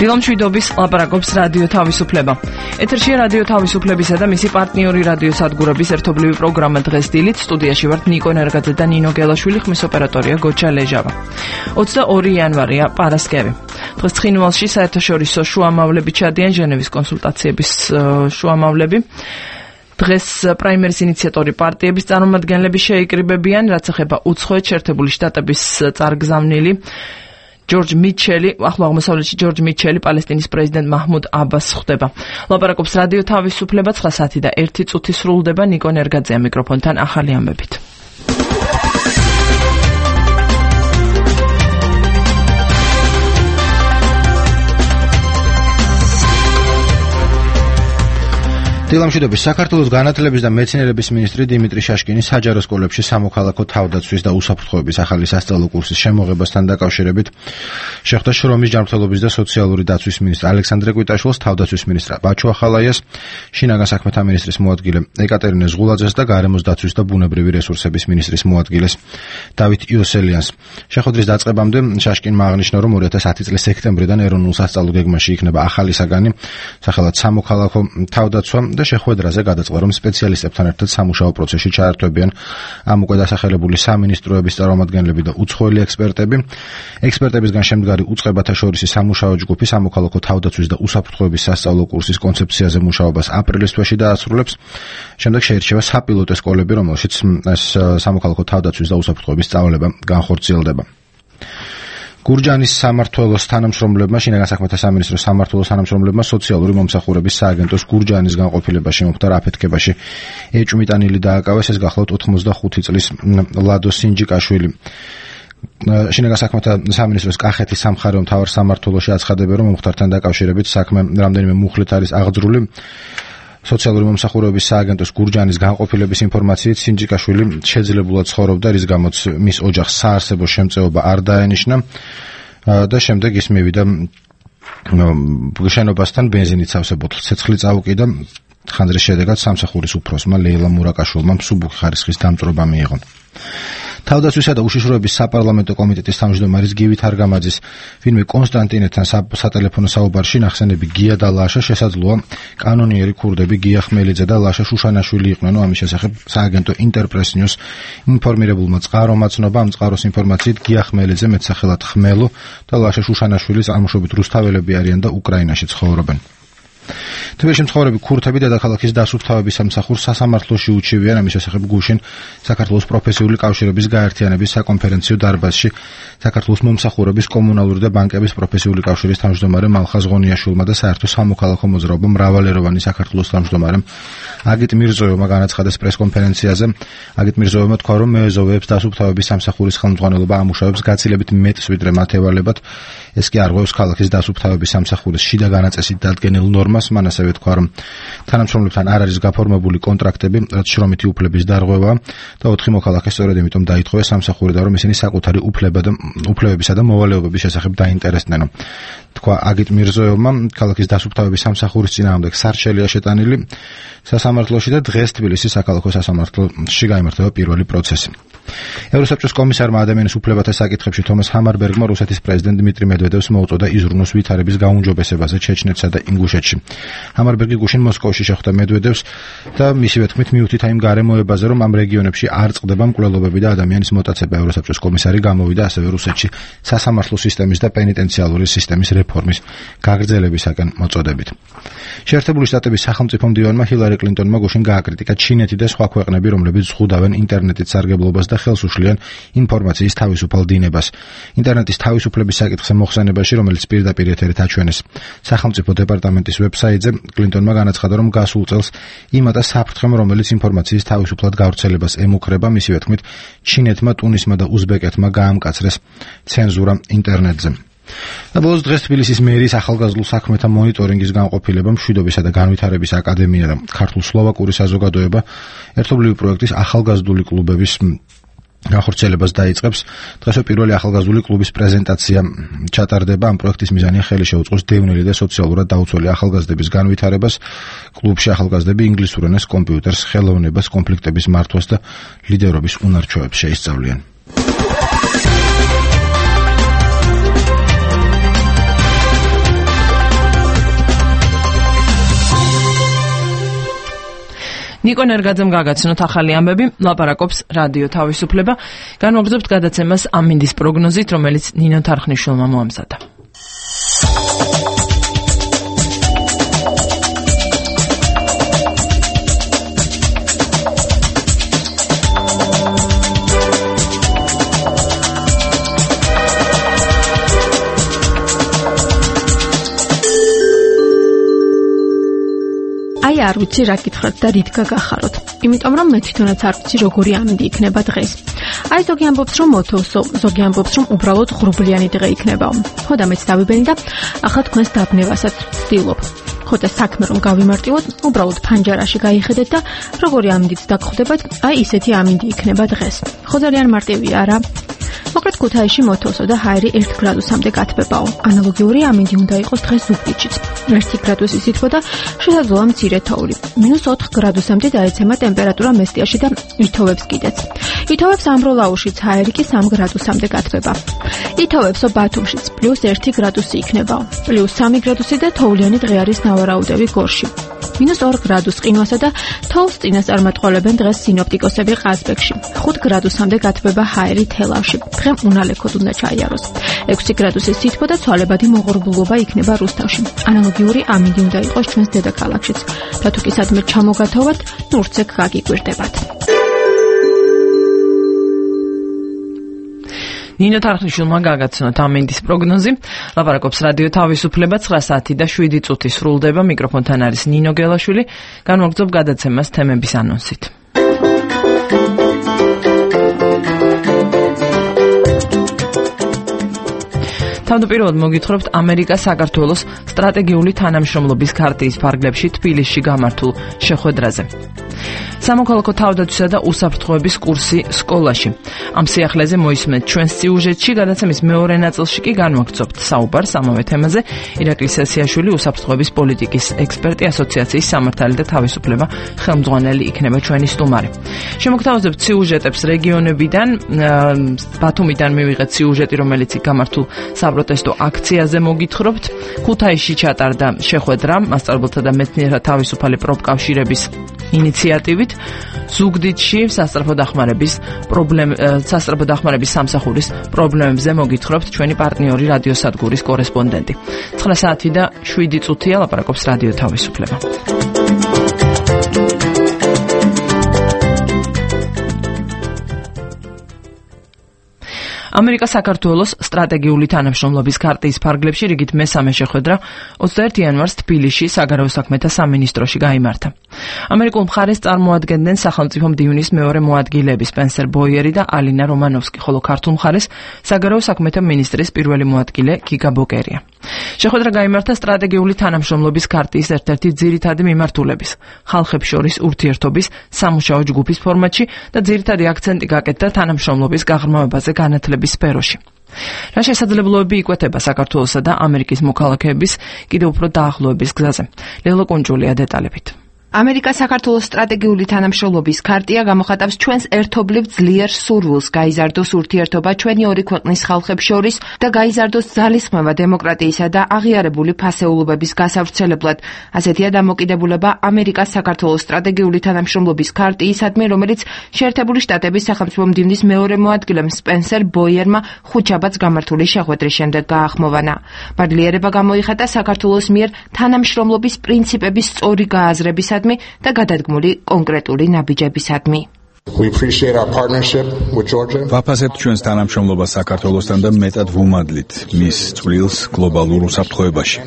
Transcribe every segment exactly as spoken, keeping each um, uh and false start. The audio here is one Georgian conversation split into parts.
დილამშვიდობის ლაპარაკობს რადიო თავისუფლება. ეთერშია რადიო თავისუფლებისა და მისი პარტნიორი რადიო სადგურების ერთობლივი პროგრამა დღეს დილით. სტუდიაში ვართ ნიკო ნერგაძე და ნინო გელაშვილი, ხმის ოპერატორია გოჩა ლეჟავა. ოცდაორი იანვარია პარასკევი. დღეს ცხინვალში საერთაშორისო შუამავლები ჩადიან ჟენევის კონსულტაციების შუამავლები. დღეს პრაიმერის ინიციატორი პარტიების წარმომადგენლები შეიკრიბებიან, რაც ეხება უცხოეთ შეერთებული შტატების წარგზავნილი ჯორჯ მიჩელი, ახლო აღმოსავლეთში ჯორჯ მიჩელი, პალესტინის პრეზიდენტ მაჰმუდ აბას ხვდება. ლაპარაკობს რადიო თავისუფლება, ცხრა საათი და ერთი წუთი სრულდება. ნიკო ნერგაძეა მიკროფონთან ახალი ამბებით. დილამშვიდობის. საქართველოს განათლების და მეცნიერების მინისტრი დიმიტრი შაშკინი საჯარო სკოლებში სამოქალაქო თავდაცვის და უსაფრთხოების ახალი სასწავლო კურსის შემოღებასთან დაკავშირებით შეხვდა შრომის ჯანმრთელობის და სოციალური დაცვის მინისტრ ალექსანდრე კვიტაშვილს, თავდაცვის მინისტრ ბაჩო ახალაიას, შინაგან საქმეთა მინისტრის მოადგილე ეკატერინე ზღულაძეს და გარემოს დაცვის და ბუნებრივი რესურსების მინისტრის მოადგილეს დავით იოსელიანს. შეხვედრის დაწყებამდე შაშკინმა აღნიშნა, რომ ორი ათას ათი წლის სექტემბრიდან ეროვნულ სასწავლო გეგმაში იქნება ახალი საგანი, სახელად სამოქალაქო თავდაცვა და შეხვედრაზე გადაწყდა, რომ სპეციალისტებთან ერთად სამუშაო პროცესში ჩაერთვებიან ამ უკვე დასახელებული სამინისტროების წარმომადგენლები და უცხოელი ექსპერტები. ექსპერტებისგან შემდგარი უწყებათა შორისი სამუშაო ჯგუფი სამოქალაქო თავდაცვის და უსაფრთხოების სასწავლო კურსის კონცეფციაზე მუშაობას აპრილის თვეში დაასრულებს. შემდეგ შეირჩევა საპილოტო სკოლები, რომელშიც ეს სამოქალაქო თავდაცვის და უსაფრთხოების სწავლება განხორციელდება. გურჯანის სამმართველოს თანამშრომლებმა, შინაგან საქმეთა სამინისტროს სამმართველოს თანამშრომლებმა სოციალური მომსახურების სააგენტოს გურჯანის განყოფილებაში მოხდა აფეთქებაში ეჭვმიტანილი დააკავეს. ეს გახლავთ ოცდახუთი წლის ლადო სინჯიკაშვილი. შინაგან საქმეთა სამინისტროს კახეთის სამხარეო მთავარ სამმართველოში აცხადებენ, რომ მომხდართან დაკავშირებით საქმე რამდენიმე მუხლით არის აღძრული. სოციალური მომსახურების სააგენტოს გურჯანის განყოფილების ინფორმაციით სინჯიკაშვილი შეძლებულად ცხოვრობდა, რის გამოც მის ოჯახს საარსებო შემწეობა არ დაენიშნა და შემდეგ ის მივიდა შენობასთან ბენზინით სავსე ბოთლს ცეცხლი წაუკიდა. ხანძრის შედეგად სამსახურის უფროსმა ლეილა მურაკაშვილმა მსუბუქი ხარისხის დამწვრობა მიიღო. თავდაცვისა და უშიშროების საპარლამენტო კომიტეტის თავმჯდომარის გივით არგამაძის ვინმე კონსტანტინეთთან სატელეფონო საუბარში ნახსენები გია და ლაშა შესაძლოა კანონიერი ქურდები გია ხმელიძე და ლაშა შუშანაშვილი იყვნენ. ამის შესახებ სააგენტო ინტერპრეს ნიუს ინფორმირებულმა წყარო მაცნობა ამ წყაროს ინფორმაციით გია ხმელიძე მეტსახელად ხმელო და ლაშა შუშანაშვილი წარმოშობით რუსთაველები არიან და უკრაინაში ცხოვრობენ. თბილისში მცხოვრები ქურთები დედაქალაქის დასუფთავების სამსახურს სასამართლოში უჩივიან. ამის შესახებ გუშინ საქართველოს პროფესიული კავშირების გაერთიანების საკონფერენციო დარბაზში საქართველოს მომსახურების, კომუნალური და ბანკების პროფესიული კავშირის თავმჯდომარე მალხაზ ღონიაშვილმა და საერთო სამოქალაქო მოძრაობა მრავალეროვანი საქართველოს თავმჯდომარემ აგიტ მირზოევმა განაცხადეს პრესკონფერენციაზე. აგიტ მირზოევმა თქვა, რომ მეეზოვეებს დასუფთავების სამსახურის ხელმძღვანელობა ამუშავებს გაცილებით მეტს ვიდრე მათ ევალებათ. ეს კი არღვევს ქალაქის დასუფთავების სამსახურის შიდა განაწესით დადგენილ ნორმას. მან ასევე თქვა, რომ თანამშრომლებთან არ არის გაფორმებული კონტრაქტები, რაც შრომითი უფლების დარღვევაა და ოთხი მოქალაქე სწორედ იმიტომ დაითხოვეს სამსახურიდან, რომ ისინი საკუთარი უფლება და უფლებებისა და მოვალეობების შესახებ დაინტერესდნენ. თქვა აგიტ მირზოევმა, ქალაქის დასუფთავების სამსახურის წინააღმდეგ სარჩელია შეტანილი სასამართლოში და დღეს თბილისის საქალაქო სასამართლოში გაიმართება პირველი პროცესი. ევროსაბჭოს კომისარმა ადამიანის უფლებათა საკითხებში თომას ჰამარბერგმა რუსეთის პრეზიდენტ დმიტრი მედვედევს მოუწოდა იზრუნოს ვითარების გაუმჯობესებაზე ჩეჩნეთსა და ინგუშეთში. ჰამარბერგი გუშინ მოსკოვში შეხვდა მედვედევს და მისივე თქმით მიუთითა იმ გარემოებაზე, რომ ამ რეგიონებში არ წყდება მკვლელობები და ადამიანის მოტაცება. ევროსაბჭოს კომისარი გამოვიდა ასევე რუსეთში სასამართლო სისტემის და პენიტენციალური სისტემის რეფორმის გაგრძელებისაკენ მოწოდებით. შეერთებული შტატების სახელმწიფო მდივანმა ჰილარი კლინტონმა გუშინ გააკრიტიკა ჩინეთი და სხვა ქვეყნები, რომლებიც ზღუდავენ ინტერნეტით სარგებლობას და ხელს უშლიან ინფორმაციის თავისუფალ დინებას. ინტერნეტის თავისუფლების საკითხზე მოხსენებაში, რომელიც პირდაპირ ეთერით აჩვენეს სახელმწიფო დეპარტამენტის ვებსაიტზე, კლინტონმა განაცხადა, რომ გასულ წელს იმატა საფრთხემ, რომელიც ინფორმაციის თავისუფლად გავრცელებას ემუქრება. მისივე თქმით, ჩინეთმა, ტუნისმა და უზბეკეთმა გაამკაცრეს ცენზურა ინტერნეტზე. და ბოლოს დღეს თბილისის მერის ახალგაზრდულ საქმეთა მონიტორინგის განყოფილება, მშვიდობისა და განვითარების აკადემია და ქართულ-სლოვაკური საზოგადოება ერთობლივი პროექტის ახალგაზრდული კლუბების განხორციელებას დაიწყებს. დღესვე პირველი ახალგაზრდული კლუბის პრეზენტაცია ჩატარდება. ამ პროექტის მიზანია ხელი შეუწყოს დევნილი და სოციალურად დაუცველი ახალგაზრდების განვითარებას. კლუბში ახალგაზრდები ინგლისურ ენას, კომპიუტერს, ხელოვნებას, კონფლიქტების მართვას და ლიდერობის უნარჩვევებს შეისწავლიან. ნიკო ნერგაძემ გაგაცნოთ ახალი ამბები, ლაპარაკობს რადიო თავისუფლება. განვაგრძობთ გადაცემას ამინდის პროგნოზით, რომელიც ნინო თარხნიშვილმა მოამზადა. აი არ ვიცი რა გითხრათ და რით გაგახაროთ. იმიტომ რომ მე თვითონაც არ ვიცი როგორი ამინდი იქნება დღეს. აი ზოგი ამბობს რომ მოთოვსო, ზოგი ამბობს რომ უბრალოდ ღრუბლიანი დღე იქნებაო. ხო და მეც დავიბენი და ახლა თქვენს დაბნევასაც ვცდილობ. ხო და საქმე რომ გავიმარტივოთ, უბრალოდ ფანჯარაში გაიხედეთ და როგორი ამინდით დაგხვდებათ, აი ისეთი ამინდი იქნება დღეს. ხო ძალიან მარტივია რა. მოკლედ ქუთაისში მოთოვსო და ჰაერი ერთ გრადუსამდე გათბებაო. ანალოგიური ამინდი უნდა იყოს დღეს ზუგდიდშიც. ერთი გრადუსი სითბო და შესაძლოა მცირე თოვლი. მინუს ოთხ გრადუსამდე დაეცემა ტემპერატურა მესტიაში და ითოვებს კიდეც. ითოვებს ამბროლაუშიც, ჰაერი კი სამ გრადუსამდე გათბება. ითოვებსო ბათუმშიც პლუს ერთი გრადუსი იქნებაო. პლუს სამი გრადუსი და თოვლიანი დღე არის ნავარაუდევი გორში. მინუს ორ გრადუს ყინვასა და თოვლს წინასწარ მეტყველებენ დღეს სინოპტიკოსები ყაზბეგში. ხუთ გრადუსამდე გათბება ჰაერი თელავში. დღე უნალექოდ უნდა ჩაიაროს. ექვსი გრადუსის სითბო და ცვალებადი მოღრუბლულობა იქნება რუსთავში. ანალოგიური ამინდი უნდა იყოს ჩვენს დედაქალაქშიც. და თუ კი სადმე ჩამოგათოვათ, ნურცეკ გაგიკვირდებათ. ნინო თარხნიშვილმა გაგაცნოთ ამინდის პროგნოზი. ლაპარაკობს რადიო თავისუფლება. ცხრა საათი და შვიდი წუთი სრულდება. მიკროფონთან არის ნინო გელაშვილი. განვაგრძობ გადაცემას თემების ანონსით. თავდაპირველად მოგითხრობთ ამერიკა საქართველოს სტრატეგიული თანამშრომლობის ქარტიის ფარგლებში თბილისში გამართულ შეხვედრაზე. სამოქალაქო თავდაცვისა და უსაფრთხოების კურსი სკოლაში. ამ სიახლეზე მოისმენთ ჩვენს სიუჟეტში, გადაცემის მეორე ნაწილში კი განვაგრძობთ საუბარს ამავე თემაზე. ირაკლი სესიაშვილი, უსაფრთხოების პოლიტიკის ექსპერტი, ასოციაციის სამართალი და თავისუფლება ხელმძღვანელი იქნება ჩვენი სტუმარი. შემოგთავაზებთ სიუჟეტებს რეგიონებიდან, ბათუმიდან მივიღეთ სიუჟეტი, რომელიც გამართულ საპროტესტო აქციაზე მოგითხრობთ. ქუთაისში ჩატარდა შეხვედრა მასწავლებელთა და მეცნიერთა თავისუფალი პროფკავშირების ინიციატივით. ზუგდიდში სასწრაფო დახმარების პრობლემ სასწრაფო დახმარების სამსახურის პრობლემებზე მოგითხრობთ ჩვენი პარტნიორი რადიოსადგურის კორესპონდენტი. ცხრა საათი და შვიდი წუთია ლაპარაკობს რადიო თავისუფლება. ამერიკა საქართველოს სტრატეგიული თანამშრომლობის ქარტიის ფარგლებში რიგით მესამე შეხვედრა ოცდაერთი იანვარს თბილისში საგარეო საქმეთა სამინისტროში გაიმართა. ამერიკულ მხარეს წარმოადგენდნენ სახელმწიფო მდივნის მეორე მოადგილეები სპენსერ ბოიერი და ალინა რომანოვსკი, ხოლო ქართულ მხარეს საგარეო საქმეთა მინისტრის პირველი მოადგილე გიგა ბოკერია. შეხვედრა გაიმართა სტრატეგიული თანამშრომლობის ქარტიის ერთ-ერთი ძირითადი მიმართულების, ხალხებს შორის ურთიერთობის სამუშაო ჯგუფის ფორმატში და ძირითადი აქცენტი გაკეთდა თანამშრომლობის გაღრმავებაზე განათლების სფეროში. რა შესაძლებლობები იკვეთება საქართველოსა და ამერიკის მოქალაქეების კიდევ უფრო დაახლოების გზაზე? ლელა კუნჯულია დეტალებით. ამერიკა საქართველოს სტრატეგიული თანამშრომლობის ქარტია გამოხატავს ჩვენს ერთობლივ ძლიერ სურვილს გაიზარდოს ურთიერთობა ჩვენი ორი ქვეყნის ხალხებს შორის და გაიზარდოს ძალისხმევა დემოკრატიისა და აღიარებული ფასეულობების გასავრცელებლად. ასეთია დამოკიდებულება ამერიკას საქართველოს სტრატეგიული თანამშრომლობის ქარტიისადმი, რომელიც შეერთებული შტატების სახელმწიფო მდივნის მეორე მოადგილემ სპენსერ ბოიერმა ხუთშაბათს გამართული შეხვედრის შემდეგ გაახმოვანა. ბადლიერება გამოიხატა საქართველოს მიერ თანამშრომლობის პრინციპების სწორი გააზრებისა და გადადგმული კონკრეტული ნაბიჯებისადმი. ვაფასებთ ჩვენს თანამშრომლობას საქართველოსთან და მეტად ვუმადლით მის წვლილს გლობალურ უსაფრთხოებაში.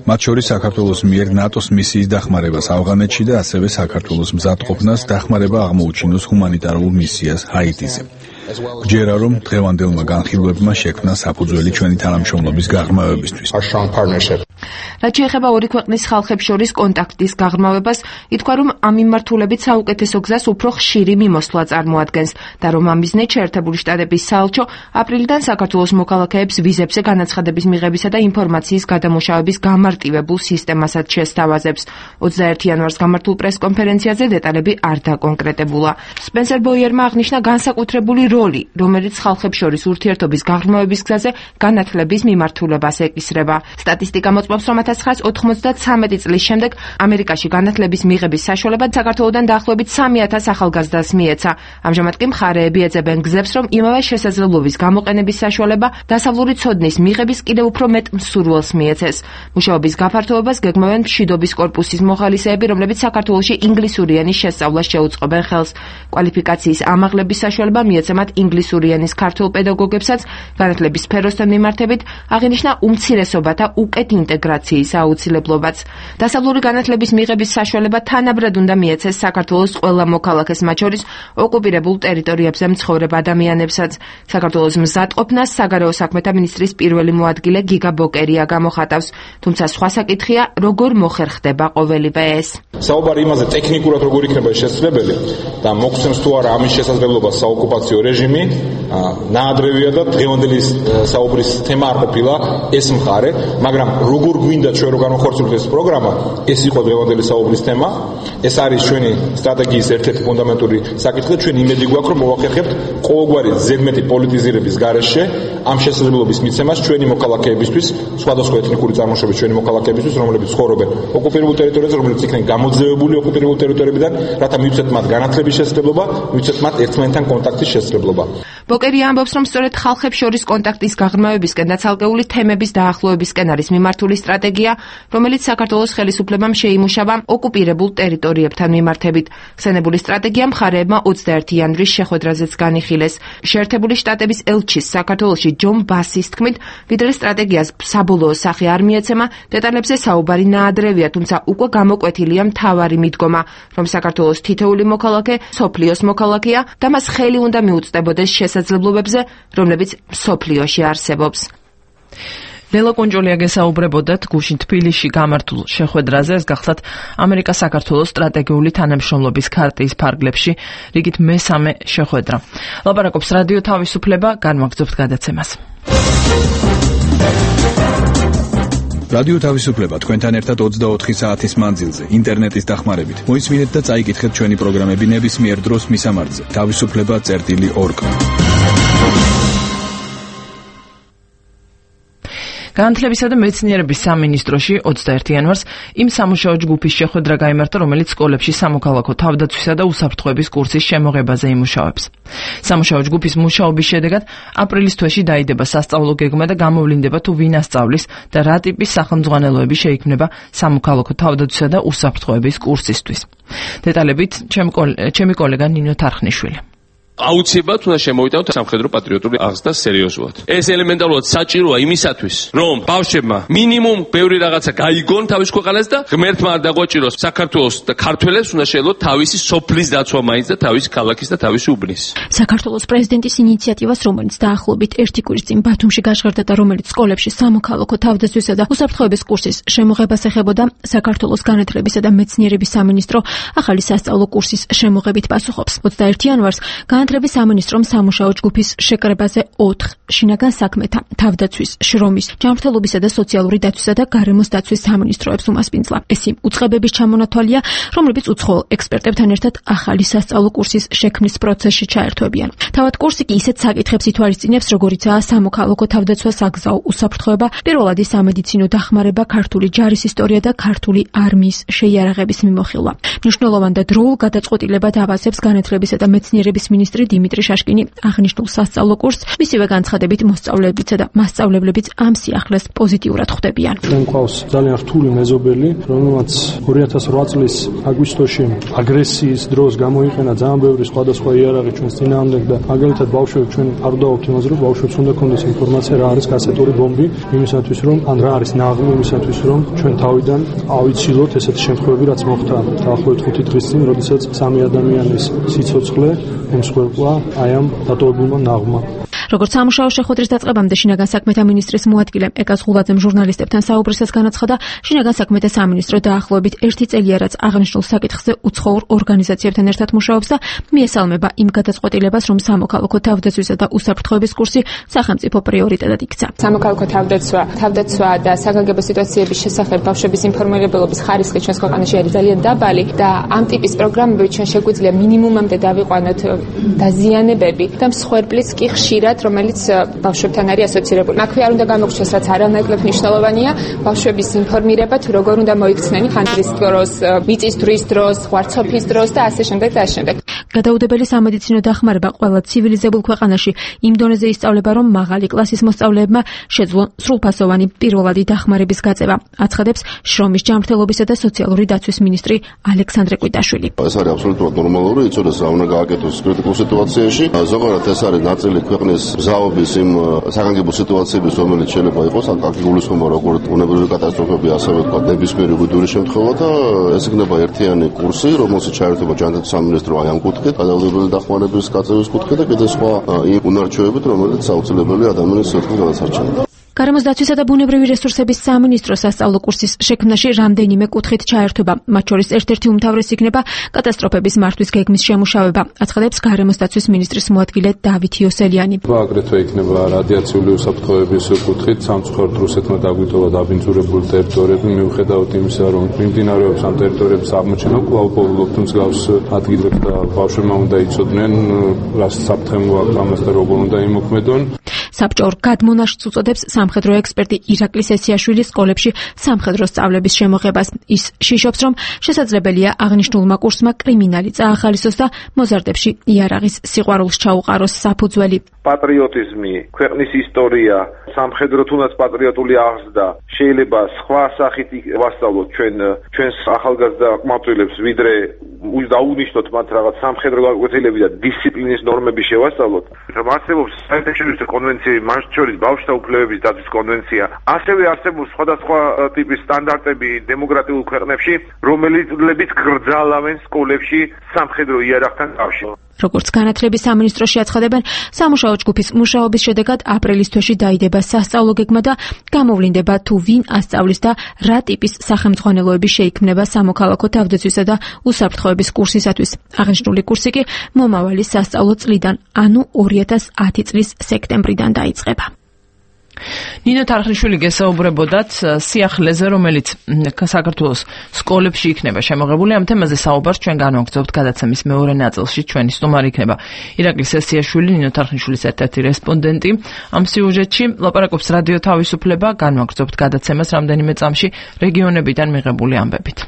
მათ შორის საქართველოს მიერ ნატოს მისიის დახმარებას ავღანეთში და ასევე საქართველოს მზადყოფნას დახმარება აღმოუჩინოს ჰუმანიტარულ მისიას ჰაიტიზე. გჯერა რომ დღევანდელმა განხილვებმა შექმნა საფუძველი ჩვენი თანამშრომლობის გაღრმავებისთვის. რაც შეეხება ორი ქვეყნის ხალხებს შორის კონტაქტის გაღრმავებას, ითქვა რომ ამ მიმართულებით საუკეთესო გზას უფრო ხშირი მიმოსვლა წარმოადგენს და რომ ამ მიზნით შეერთებული შტატების საელჩო აპრილიდან საქართველოს მოქალაქეებს ვიზებზე განაცხადების მიღებისა და ინფორმაციის გადამუშავების გამარტივებულ სისტემასაც შესთავაზებს. ოცდაერთი იანვარს გამართულ პრესკონფერენციაზე დეტალები არ დაკონკრეტებულა. სპენსერ ბოიერმა აღნიშნა განსაკუთრებული როლი, რომელიც ხალხებს შორის ურთიერთობის გაღრმავების გზაზე განათლების მიმართულებას ეკისრება. სტატისტიკა მოწმობს, რომ რომ ათას ცხრაას ოთხმოცდათსამეტი წლის შემდეგ ამერიკაში განათლების მიღების საშუალება საქართველოსთან დაახლოებით სამი ათას ახალგაზრდას მიეცა. ამჟამად კი მხარეები ეძებენ გზებს, რომ იმავე შესაძლებლობის გამოყენების საშუალება დასავლური ცოდნის მიღების კიდევ უფრო მეტ მსურველს მიეცეს. მუშაობის გაფართოებას გეგმავენ მშვიდობის კორპუსის მოხალისეები, რომლებიც საქართველოში ინგლისური ენის შესწავლას შეუწყობენ ხელს. კვალიფიკაციის ამაღლების საშუალება მიეცემათ ინგლისური ენის ქართულ პედაგოგებსაც. განათლების სფეროსთან მიმართებით აღინიშნა უმცირესობათა უკეთ ინტეგრაციის აუცილებლობაც. დასავლური განათლების მიღების საშუალება თანაბრად უნდა მიეცეს საქართველოს ყველა მოქალაქეს, მათ შორის ოკუპირებულ ტერიტორიებზე მცხოვრებ ადამიანებსაც. საქართველოს მზადყოფნას საგარეო საქმეთა მინისტრის პირველი მოადგილე გიგა ბოკერია გამოხატავს, თუმცა სხვა საკითხია, როგორ მოხერხდება ყოველივე ეს. საუბარი იმაზე ტექნიკურად როგორ იქნება შესაძლებელი და მოგცემს თუ არა ამის შესაძლებლობა საოკუპაციო რეჟიმი, ნაადრევია და დღევანდელი საუბრის თემა არ ყოფილა ეს მხარე, მაგრამ როგორ გვინდა ჩვენ რომ განვახორციელოთ ეს პროგრამა, ეს იყო დღევანდელი საუბრის თემა. ეს არის ჩვენი სტრატეგიის ერთ-ერთი ფუნდამენტური საკითხი და ჩვენ იმედი გვაქვს რომ მოვახერხებთ ყოველგვარი ზედმეტი პოლიტიზირების გარეშე ამ შესაძლებლობის მიცემას ჩვენი მოქალაქეებისთვის, სხვადასხვა ეთნიკური წარმოშობის ჩვენი მოქალაქეებისთვის, რომლებიც ცხოვრობენ ოკუპირებულ ტერიტორიაზე, რომლებიც იქნენ გამოძევებული ოკუპირებულ ტერიტორიებიდან, რათა მივცეთ მათ განათლების შესაძლებლობა, მივცეთ მათ ერთმანეთთან კონტაქტის შესაძლებლობა. ბოკერია ამბობს, რომ სწორედ ხალხებს შორის კონტაქტის გაღრმავებისკენ და ცალკეული თემების დაახლოებისკენ არის მიმართული სტრატეგია, რომელიც საქართველოს ხელისუფლებამ შეიმუშავა ოკუპირებულ ტერიტორიებთან მიმართებით. ხსენებული სტრატეგია მხარეებმა ოცდაერთი იანვრის შეხვედრაზეც განიხილეს. შეერთებული შტატების ელჩის საქართველოში ჯონ ბასის თქმით, ვიდრე სტრატეგიას საბოლოო სახე არ მიეცემა, დეტალებზე საუბარი ნაადრევია, თუმცა უკვე გამოკვეთილია მთავარი მიდგომა, რომ საქართველოს თითოეული მოქალაქე სოფლიოს მოქალაქეა და მას ხელი უნდა მიუწვდებოდეს შესაძლებლობებზე, რომლებიც სოფლიოში არსებობს. ლელა კუნჯოლია გესაუბრებოდათ გუშინ თბილისში გამართულ შეხვედრაზე, ეს გახლავთ ამერიკა-საქართველოს სტრატეგიული თანამშრომლობის ქარტიის ფარგლებში რიგით მესამე შეხვედრა. ლაპარაკობს რადიო თავისუფლება, განვაგრძობთ გადაცემას. რადიო თავისუფლება თქვენთან ერთად ოცდაოთხი საათის მანძილზე, ინტერნეტის დახმარებით. მოისმინეთ და წაიკითხეთ ჩვენი პროგრამები ნებისმიერ დროს მისამართზე. თავისუფლება წერტილი ორგ. განათლებისა და მეცნიერების სამინისტროში ოცდაერთი იანვარს იმ სამუშაო ჯგუფის შეხვედრა გაიმართა, რომელიც სკოლებში სამოქალაქო თავდაცვისა და უსაფრთხოების კურსის შემოღებაზე იმუშავებს. სამუშაო ჯგუფის მუშაობის შედეგად აპრილის თვეში დაიდება სასწავლო გეგმა და გამოვლინდება თუ ვინ ასწავლის და რა ტიპის სახელმძღვანელოები შეიქმნება სამოქალაქო თავდაცვისა და უსაფრთხოების კურსისთვის. დეტალებით ჩემი კოლეგა ნინო თარხნიშვილი. აუცილებლად უნდა შემოვიტანოთ სამხედრო პატრიოტული აღზრდა სერიოზულად. ეს ელემენტარულად საჭიროა იმისათვის, რომ ბავშვებმა მინიმუმ ბევრი რაღაცა გაიგონ თავის ქვეყანას და ღმერთმა არ დაგვაჭიროს საქართველოს და ქართველებს უნდა შეძლოთ თავისი სოფლის დაცვა მაინც და თავისი ქალაქის და თავისი უბნის. საქართველოს პრეზიდენტის ინიციატივას, რომელიც დაახლოებით ერთი კვირის წინ ბათუმში გაჟღერდა და რომელიც სკოლებში სამოქალაქო თავდაცვისა და უსაფრთხოების კურსის შემოღებას ეხებოდა, საქართველოს განათლებისა და მეცნიერების სამინისტრო ახალი სასწავლო კურსის შემოღებით პასუხობს. ოცდაერთი იანვარს განათლების სამინისტრომ სამუშაო ჯგუფის შეკრებაზე ოთხ შინაგან საქმეთა, თავდაცვის, შრომის, ჯანმრთელობისა და სოციალური დაცვისა და გარემოს დაცვის სამინისტროებს უმასპინძლა. ეს იმ უწყებების ჩამონათვალია, რომლებიც უცხოელ ექსპერტებთან ერთად ახალი სასწავლო კურსის შექმნის პროცესში ჩაერთვებიან. თავად კურსი კი ისეთ საკითხებს ითვალისწინებს, როგორიცაა სამოქალაქო თავდაცვა, საგზაო უსაფრთხოება, პირველადი სამედიცინო დახმარება, ქართული ჯარის ისტორია და ქართული არმიის შეიარაღების მიმოხილვა. მნიშვნელოვან და დროულ გადაწყვეტილებად ავასებს განათლებისა და მეცნიერების მინისტრი დიმიტრი შაშკინი აღნიშნულ სასწავლო კურსს, მისივე განცხადებით მოსწავლეებისა და მასწავლებლებიც ამ სიახლეს პოზიტიურად ხვდებიან. ჩვენ ყავს ძალიან რთული მეზობელი, რომელმაც ორი ათას ოთხ წლის აგვისტოში აგრესიის დროს გამოიყენა ძალიან ბევრი სხვადასხვა იარაღი ჩვენს წინააღმდეგ და მაგალითად ბავშვები ჩვენ არ ვდავალთ იმაზე, რომ ბავშვებს უნდა ქონდეს ინფორმაცია რა არის კასეტური ბომბი, იმისათვის რომ ან რა არის ნაღმი, იმისათვის რომ ჩვენ თავიდან ავიცილოთ ესეთი შემთხვევები, რაც მოხდა დაახლოებით ხუთი დღის წინ, როდესაც სამი ადამიანის სიცოცხლე ემსხვერპლა აი ამ დატოვებულმა ნაღმმა. როგორც სამუშაო შეხვედრის დაწყებამდე შინაგან საქმეთა მინისტრის მოადგილე ეკა ზღულაძემ ჟურნალისტებთან საუბრისას განაცხადა, შინაგან საქმეთა სამინისტრო დაახლოებით ერთი წელია, რაც აღნიშნულ საკითხზე უცხოურ ორგანიზაციებთან ერთად მუშაობს და მიესალმება იმ გადაწყვეტილებას, რომ სამოქალაქო თავდაცვისა და უსაფრთხოების კურსი სახელმწიფო პრიორიტეტად იქცა. სამოქალაქო თავდაცვა, თავდაცვა და საგანგებო სიტუაციების შესახებ ბავშვების ინფორმირებელობის ხარისხი ჩვენს ქვეყანაში არის ძალიან დაბალი და ამ ტიპის პროგრამები ჩვენ შეგვიძლია მინიმუმამდე დავიყვანოთ დაზიანებები და მსხვერპლიც კი ხშირად რომელიც ბავშვებთან არის ასოცირებული. აქვე არ უნდა გამოგჩნდეს, რაც არანაკლებ მნიშვნელოვანია, ბავშვების ინფორმირება თუ როგორ უნდა მოიქცნენ ხანძრის დროს, მიწის დრის დროს, ღვარცოფის დროს და ასე შემდეგ და ასე შემდეგ. გადაუდებელი სამედიცინო დახმარება ყველა ცივილიზებულ ქვეყანაში იმ დონეზე ისწავლება, რომ მაღალი კლასის მოსწავლეებმა შეძლონ სრულფასოვანი პირველადი დახმარების გაწევა, აცხადებს შრომის ჯანმრთელობისა და სოციალური დაცვის მინისტრი ალექსანდრე კვიტაშვილი. ეს არის აბსოლუტურად ნორმალური, იცოდეს რა უნდა გააკეთოს კრიტიკულ სიტუაციაში. ზოგადად ეს არის ნაწილი ქვეყნის მზაობის იმ საგანგებო სიტუაციების, რომელიც შეიძლება იყოს, აქ გულისხმობა როგორც უნებრივი კატასტროფები, ასევე თქვა ნებისმიერი უდური შემთხვევა და ეს იქნება ერთიანი კურსი, რომელსაც ჩაერთვება ჯანდაცვის სამინისტრო აი ამ კუთხით, გადაუდებელი დახმარების გაწევის კუთხით და კიდე სხვა იმ უნარჩვევებით, რომელიც აუცილებელია ადამიანის სივრცის გადასარჩენად. გარემოს დაცვისა და ბუნებრივი რესურსების სამინისტროს სასწავლო კურსის შექმნაში რამდენიმე კუთხით ჩაერთვება. მათ შორის ერთ-ერთი უმთავრესი იქნება კატასტროფების მართვის გეგმის შემუშავება, აცხადებს გარემოს დაცვის მინისტრის მოადგილე დავით იოსელიანი. აგრეთვე იქნება რადიაციული უსაფრთხოების კუთხით სამწუხაროდ რუსეთმა დაგვიტოვა დაბინძურებული ტერიტორიები, მიუხედავად იმისა, რომ მიმდინარეობს ამ ტერიტორიების აღმოჩენა, კვლავ პოულობთ მსგავს ადგილებს და ბავშვებმა უნდა იცოდნენ, რა საფრთხემო აქვს ამას და როგორ უნდა იმოქმედონ. საბჭო გადმონაშთს უწოდებს სამხედრო ექსპერტი ირაკლი სესიაშვილი სკოლებში სამხედრო სწავლების შემოღებას. ის შიშობს, რომ შესაძლებელია აღნიშნულმა კურსმა კრიმინალი წაახალისოს და მოზარდებში იარაღის სიყვარულს ჩაუყაროს საფუძველი. პატრიოტიზმი, ქვეყნის ისტორია, სამხედრო თუნდაც პატრიოტული აღზრდა შეიძლება სხვა სახით ვასწავლოთ ჩვენ ჩვენს ახალგაზრდა ყმაწვილებს, ვიდრე დაუნიშნოთ მათ რაღაც სამხედრო გაკვეთილები და დისციპლინის ნორმები შევასწავლოთ. რომ არსებობს საერთაშორისო კონვენცია, მათ შორის ბავშვთა უფლებების დაცვის კონვენცია, ასევე არსებობს სხვადასხვა ტიპის სტანდარტები დემოკრატიულ ქვეყნებში, რომელიც გრძალავენ სკოლებში სამხედრო იარაღთან კავშირს. როგორც განათლების სამინისტროში აცხადებენ, სამუშაო ჯგუფის მუშაობის შედეგად აპრილის თვეში დაიდება სასწავლო გეგმა და გამოვლინდება თუ ვინ ასწავლის და რა ტიპის სახელმძღვანელოები შეიქმნება სამოქალაქო თავდაცვისა და უსაფრთხოების კურსისათვის. აღნიშნული კურსი კი მომავალი სასწავლო წლიდან, ანუ ორი ათას ათი წლის სექტემბრიდან დაიწყება. ნინო თარხნიშვილი გესაუბრებოდათ სიახლეზე, რომელიც საქართველოს სკოლებში იქნება შემოღებული. ამ თემაზე საუბარს ჩვენ განვაგრძობთ გადაცემის მეორე ნაწილში. ჩვენი სტუმარი იქნება ირაკლი სესიაშვილი, ნინო თარხნიშვილის ერთ-ერთი რესპონდენტი. ამ სიუჟეტში ლაპარაკობს რადიო თავისუფლება, განვაგრძობთ გადაცემას რამდენიმე წამში რეგიონებიდან მიღებული ამბებით.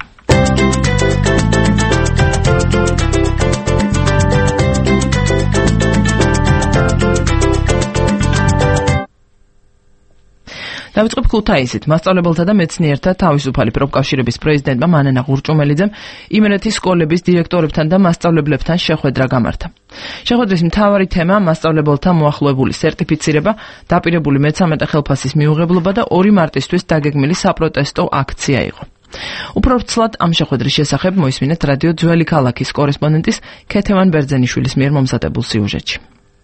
დავიწყებ ქუთაისით. მასწავლებელთა და მეცნიერთა თავისუფალი პროფკავშირების პრეზიდენტმა მანანა ღურჭუმელიძემ იმერეთის სკოლების დირექტორებთან და მასწავლებლებთან შეხვედრა გამართა. შეხვედრის მთავარი თემა მასწავლებელთა მოახლოებული სერტიფიცირება, დაპირებული მეცამეტე ხელფასის მიუღებლობა და ორი მარტისთვის დაგეგმილი საპროტესტო აქცია იყო. უფრო ვრცლად ამ შეხვედრის შესახებ მოისმინეთ რადიო ძველი ქალაქის კორესპონდენტის ქეთევან ბერძენიშვილის მიერ მომზადებულ სიუჟეტში.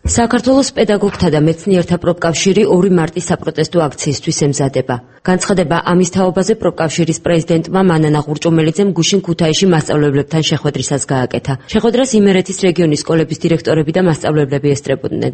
საქართველოს პედაგოგთა და მეცნიერთა პროფკავშირი ორი მარტის საპროტესტო აქციისთვის ემზადება. განცხადება ამის თაობაზე პროფკავშირის პრეზიდენტმა მანანა ღურჭუმელიძემ გუშინ ქუთაისში მასწავლებლებთან შეხვედრისას გააკეთა. შეხვედრას იმერეთის რეგიონის სკოლების დირექტორები და მასწავლებლები ესწრებოდნენ.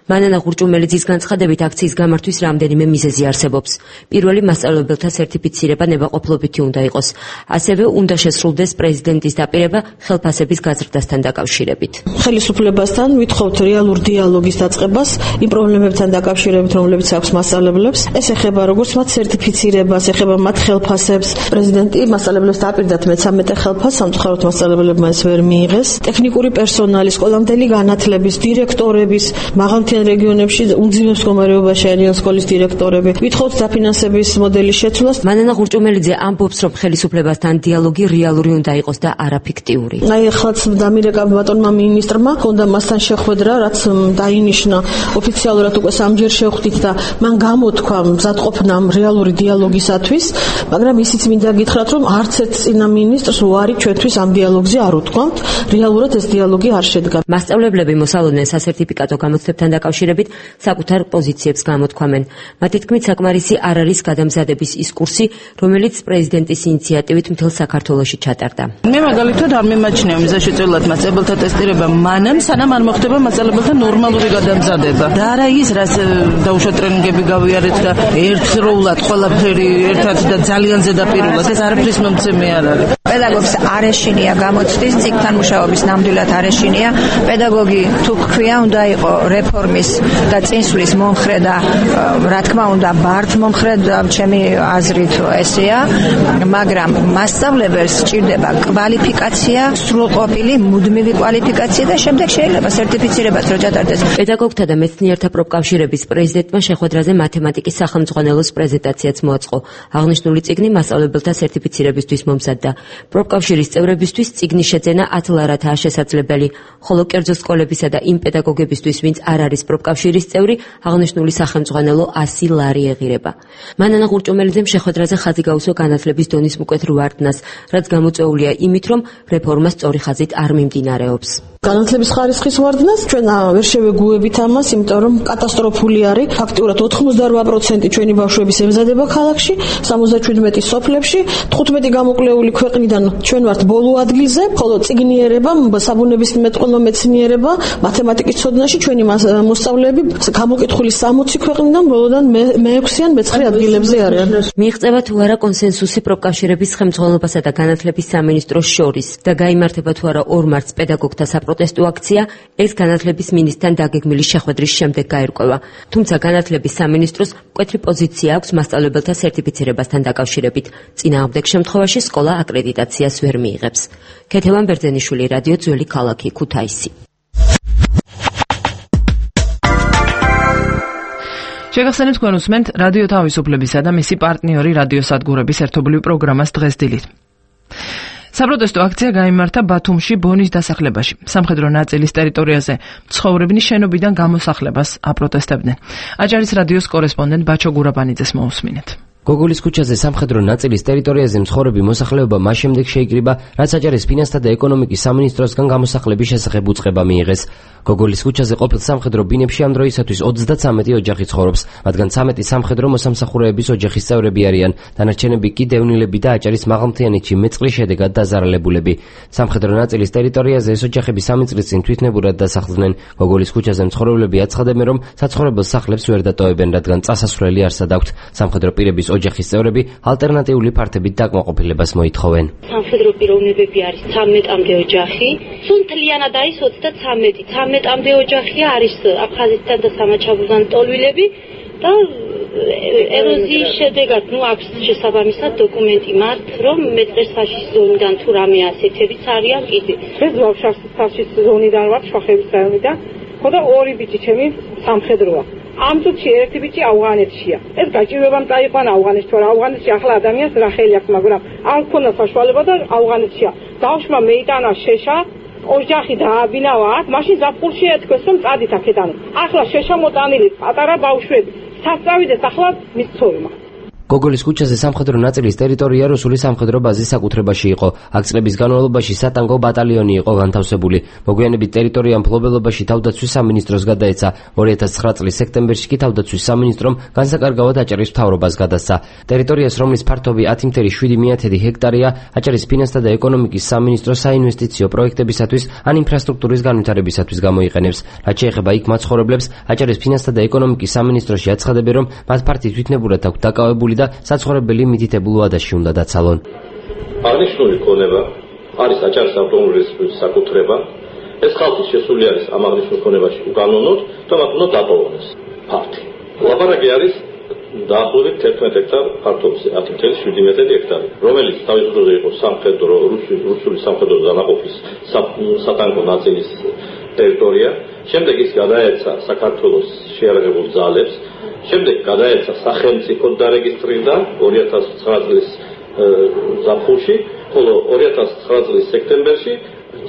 მანანა ღურჭუმელიძის განცხადებით აქციის გამართვის რამდენიმე მიზეზი არსებობს. პირველი, მასწავლებელთა სერტიფიცირება ნებაყოფლობითი უნდა იყოს. ასევე უნდა შესრულდეს პრეზიდენტის დაპირება ხელფასების გაზრდასთან დაკავშირებით. ხელისუფლებასთან ვითხოვთ რეალურ დიალოგის დაწყებას იმ პრობლემებთან დაკავშირებით, რომლებიც აქვს მასწავლებლებს. ეს ეხება როგორც მათ სერტიფიცირებას, ეხება მათ ხელფასებს. პრეზიდენტი მასწავლებლებს დაპირდათ მეცამეტე ხელფასს, სამწუხაროდ მასწავლებლებმა ეს ვერ მიიღეს. ტექნიკური პერსონალი, სკოლამდელი განათლების, დირექტორების, მაღალმთიან რეგიონებში უმძიმე მდგომარეობაში არიან სკოლის დირექტორები. ვითხოვთ დაფინანსების მოდელის შეცვლას. მანანა ღურჭუმელიძე ამბობს, რომ ხელისუფლებასთან დიალოგი რეალური უნდა იყოს და არა ფიქტიური. აი ახლაც დამირეკა ბატონმა მინისტრმა, ჰქონდა მასთან შეხვედრა, რაც დაინიშნა ოფიციალურად უკვე სამჯერ შევხვდით და მან გამოთქვა მზადყოფნა რეალური დიალოგისათვის, მაგრამ ისიც მინდა გითხრათ, რომ არც ერთ წინა მინისტრს უარი ჩვენთვის ამ დიალოგზე არ უთქვამთ, რეალურად ეს დიალოგი არ შედგა. მასწავლებლები მოსალოდნელ სასერტიფიკატო გამოცდებთან დაკავშირებით საკუთარ პოზიციებს გამოთქვამენ. მათი თქმით, საკმარისი არ არის გადამზადების ის კურსი, რომელიც პრეზიდენტის ინიციატივით მთელ საქართველოში ჩატარდა. მე მაგალითად არ მიმაჩნია მიზანშეწონილად მასწავლებელთა ტესტირება მანამ, სანამ არ მოხდება მასწავლებელთა ნორმალური გადამზადება. და არა ის, რაც დაუშვათ ტრენინგები გავიარეთ და ერთდროულად ყველაფერი ერთად და ძალიან ზედაპირულად, ეს არაფრის მომცემი არ არის. პედაგოგს არ ეშინია გამოცდის წიგნთან მუშაობის ნამდვილად არ ეშინია. პედაგოგი თუ ქვია უნდა იყო რეფორმის და წინსვლის მომხრე და რა თქმა უნდა ბართ მომხრე და ჩემი აზრით ესეა, მაგრამ მასწავლებელს სჭირდება კვალიფიკაცია, სრულყოფილი მუდმივი კვალიფიკაცია და შემდეგ შეიძლება სერტიფიცირებაც რო ჩატარდეს. პედაგოგთა და მეცნიერთა პროფკავშირების პრეზიდენტმა შეხვედრაზე მათემატიკის სახელმძღვანელოს პრეზენტაციაც მოაწყო. აღნიშნული წიგნი მასწავლებელთა სერტიფიცირებისთვის მომზადდა. პროფკავშირის წევრებისთვის წიგნის შეძენა ათ ლარათაა შესაძლებელი, ხოლო კერძო სკოლებისა და იმ პედაგოგებისთვის, ვინც არ არის პროფკავშირის წევრი, აღნიშნული სახელმძღვანელო ასი ლარი ეღირება. მანანა ღურჭუმელიძემ შეხვედრაზე ხაზი გაუსვა განათლების დონის მკვეთრ ვარდნას, რაც გამოწვეულია იმით, რომ რეფორმა სწორი ხაზით არ მიმდინარეობს. განათლების ხარისხის ვარდნას ჩვენ ვერ შევეგუებით ამას, იმიტომ რომ კატასტროფული არის. ფაქტიურად ოთხმოცდაორ პროცენტი ჩვენი ბავშვების ემზადება ქალაქში, სამოცდაშვიდმეტი სოფლებში, თხუთმეტი გამოკვლეული ქვეყნიდან ჩვენ ვართ ბოლო ადგილზე, ხოლო წიგნიერება, საბუნებისმეტყველო მეცნიერება, მათემატიკის ცოდნაში ჩვენი მოსწავლეები გამოკითხული სამოცი ქვეყნიდან ბოლოდან მეექვსე ან მეცხრე ადგილებზე არიან. მიიღწევა თუ არა კონსენსუსი პროფკავშირების ხელმძღვანელობასა და განათლების სამინისტროს შორის და გაიმართება თუ არა ორ მარტს პედაგოგთა საპროტესტო აქცია, ეს განათლების მინისტრთან დაგეგმილი შეხვედრის შემდეგ გაირკვევა. თუმცა განათლების სამინისტროს მკვეთრი პოზიცია აქვს მასწავლებელთა სერტიფიცირებასთან დაკავშირებით. წინააღმდეგ შემთხვევაში სკოლა აკრედიტაციას ვერ მიიღებს. ქეთევან ბერძენიშვილი, რადიო ძველი ქალაქი, ქუთაისი. შეგახსენებთ თქვენ უსმენთ რადიო თავისუფლებისა და მისი პარტნიორი რადიოსადგურების ერთობლივ პროგრამას დღეს დილით. საპროტესტო აქცია გაიმართა ბათუმში ბონის დასახლებაში. სამხედრო ნაწილის ტერიტორიაზე მცხოვრებნი შენობიდან გამოსახლებას აპროტესტებდნენ. აჭარის რადიოს კორესპონდენტ ბაჩო გურაბანიძეს მოусმინეთ. გოგოლის ქუჩაზე სამხედრო ნაწილის ტერიტორიაზე მცხოვრები მოსახლეობა მას შემდეგ შეიკრიბა, რაც აჭარის ფინანსთა და ეკონომიკის სამინისტროსგან გამოსახლების შესახებ უწყება მიიღეს. გოგოლის ქუჩაზე ყოფილ სამხედრო ბინებში ამ დროისათვის ოცდაცამეტი ოჯახი ცხოვრობს, მათგან ცამეტი სამხედრო მოსამსახურეების ოჯახის წევრები არიან, დანარჩენები კი დევნილები და აჭარის მაღალმთიანეთში მეწყლის შედეგად დაზარალებულები. სამხედრო ნაწილის ტერიტორიაზე ეს ოჯახები სამი წლის წინ თვითნებურად დასახლდნენ. გოგოლის ქუჩაზე მცხოვრებლები აცხადებენ, რომ საცხოვრებელ სახლებს ვერ დატოვებენ, რადგან წასასვლელი არსად აქვთ. სამხედრო პირების ოჯახის წევრები ალტერნატიული ფართებით დაკმაყოფილებას მოითხოვენ. სამხედრო პიროვნებები არის ცამეტამდე ოჯახი, სუნთლიანად არის ოცდაცამეტი. ცამეტამდე ოჯახია არის აფხაზეთიდან და სამაჩაბლოდან ტოლვილები და ეროზიის შედეგად ნუ აქვს შესაბამისად დოკუმენტი მათ, რომ მეწყერ საშის ზონიდან თუ რამე ასეთებიც არიან კიდე. ეს საშის ზონიდან ვარ, შუახევის რაიონიდან, ხო და ორი ბიჭი ჩემი სამხედროა. ამ წუთში ერთი ბიჭი ავღანეთშია. ეს გაჭირვებამ წაიყვანა ავღანეთში, თორე ავღანეთში ახლა ადამიანს რა ხელი აქვს, მაგრამ არ ქონდა საშუალება და ავღანეთშია. ბავშვმა მეიტანა შეშა, ოჯახი დააბინავა აქ, მაშინ ზაფხულში ეთქვეს, რომ წადით აქედან. ახლა შეშა მოტანილი პატარა ბავშვები. სასწავიდეთ ახლა მის ცოლმა. გოგოლის ქუჩაზე სამხედრო ნაწილის ტერიტორია რუსული სამხედრო ბაზის საკუთრებაში იყო. აქ წლების განმავლობაში სატანკო ბატალიონი იყო განთავსებული. მოგვიანებით ტერიტორია მფლობელობაში თავდაცვის სამინისტროს გადაეცა. ორი ათას ცხრა წლის სექტემბერში კი თავდაცვის სამინისტრომ განსაკარგავად აჭარის მთავრობას გადასცა. ტერიტორიას, რომლის ფართობი ათი ათეული შვიდი ჰექტარია, აჭარის ფინანსთა და ეკონომიკის სამინისტრო საინვესტიციო პროექტებისათვის ან ინფრასტრუქტურის განვითარებისათვის გამოიყენებს. რაც შეეხება იქ მაცხოვრებლებს, აჭარის ფინანსთა და ეკონომიკის სამინისტროში აცხადებენ, რომ მათ ფართი თვითნებურად აქვს დაკავებული და საცხოვრებელი მითითებულ ვადაში უნდა დაცალონ. აღნიშნული ქონება არის აჭარის ავტონომიური საკუთრება. ეს ხალხის შესული არის ამ აღნიშნულ ქონებაში უკანონოდ და მათ უნდა დატოვოს ფართი. ლაპარაკი არის დაახლოებით თერთმეტ ჰექტარ ფართობზე, ათი ათეული შვიდი ჰექტარი, რომელიც თავის დროზე იყო სამხედრო რუსული სამხედრო დანაყოფის სატანკო ნაწილის ტერიტორია. შემდეგ ის გადაეცა საქართველოს შეიარაღებულ ძალებს. შემდეგ გადაეცა სახელმწიფო დარეგისტრირდა ორი ათას ცხრა წლის ზაფხულში, ხოლო ორი ათას ცხრა წლის სექტემბერში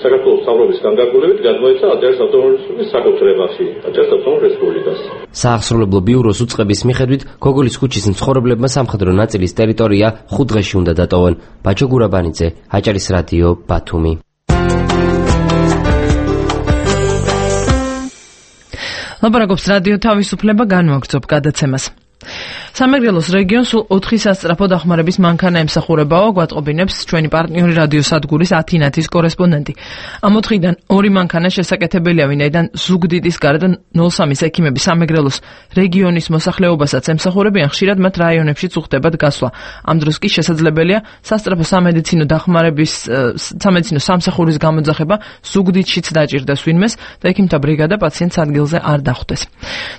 საქართველოს მთავრობის განკარგულებით გადმოეცა აჭარის ავტონომიის საკუთრებაში, აჭარის ავტონომურ რესპუბლიკას. საახსრუებლო ბიუროს უწყების მიხედვით, გოგოლის ქუჩის მცხოვრებლებმა სამხედრო ნაწილის ტერიტორია ხუთ დღეში უნდა დატოვონ. ბაჩო გურაბანიძე, აჭარის რადიო, ბათუმი. ლაპარაკობს რადიო თავისუფლება, განვაგრძობ გადაცემას. სამეგრელოს რეგიონს სულ ოთხი სასწრაფო დახმარების მანქანა ემსახურებაო, გვატყობინებს ჩვენი პარტნიორი რადიოსადგურის ათინათის კორესპონდენტი. ამ ოთხიდან ორი მანქანა შესაკეთებელია, ვინაიდან ზუგდიდის გარდა ნულ სამის ექიმები სამეგრელოს რეგიონის მოსახლეობასაც ემსახურებიან, ხშირად მათ რაიონებში წუხდებათ გასვლა. ამ დროს კი შესაძლებელია სასწრაფო სამედიცინო დახმარების სამედიცინო სამსახურის გამოძახება ზუგდიდშიც დაჭირდეს ვინმეს და ექიმთა ბრიგადა პაციენტს ადგილზე არ დახვდეს.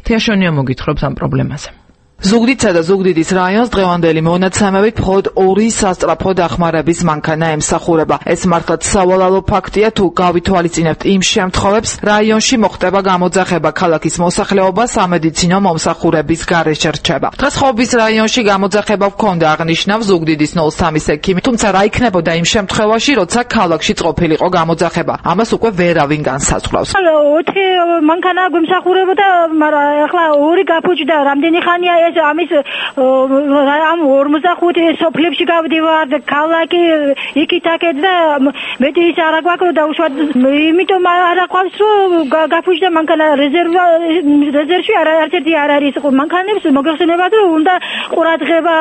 თეაშონია მოგითხრობს ამ პრობლემაზე. ზუგდიდსა და ზუგდიდის რაიონს დღევანდელი მონაცემებით მხოლოდ ორი სასწრაფო დახმარების მანქანა ემსახურება. ეს მართლაც სავალალო ფაქტია, თუ გავითვალისწინებთ იმ შემთხვევებს, რაიონში მოხდება გამოძახება, ქალაქის მოსახლეობა სამედიცინო მომსახურების გარეშე რჩება. დღეს ხობის რაიონში გამოძახება ჰქონდა, აღნიშნავს ზუგდიდის ნულ სამის ექიმი, თუმცა რა იქნებოდა იმ შემთხვევაში, როცა ქალაქში წყობილიყო გამოძახება. ამას უკვე ვერავინ განსაზღვრავს. ოთხი მანქანა გვემსახურებოდა, მაგრამ ახლა ორი გაფუჭდა, რამდენი ხანია ეს ამის ამ ორმოცდახუთი სოფლებში გავდივარ და ქალაქი იქით-აქეთ და მეტი ის არ აგვაქვს და უშუალოდ იმიტომ არ აყვავს რომ გაფუჭდა მანქანა რეზერვში არაერთი არ არის მანქანებს მოგეხსენებათ რომ უნდა ყურადღება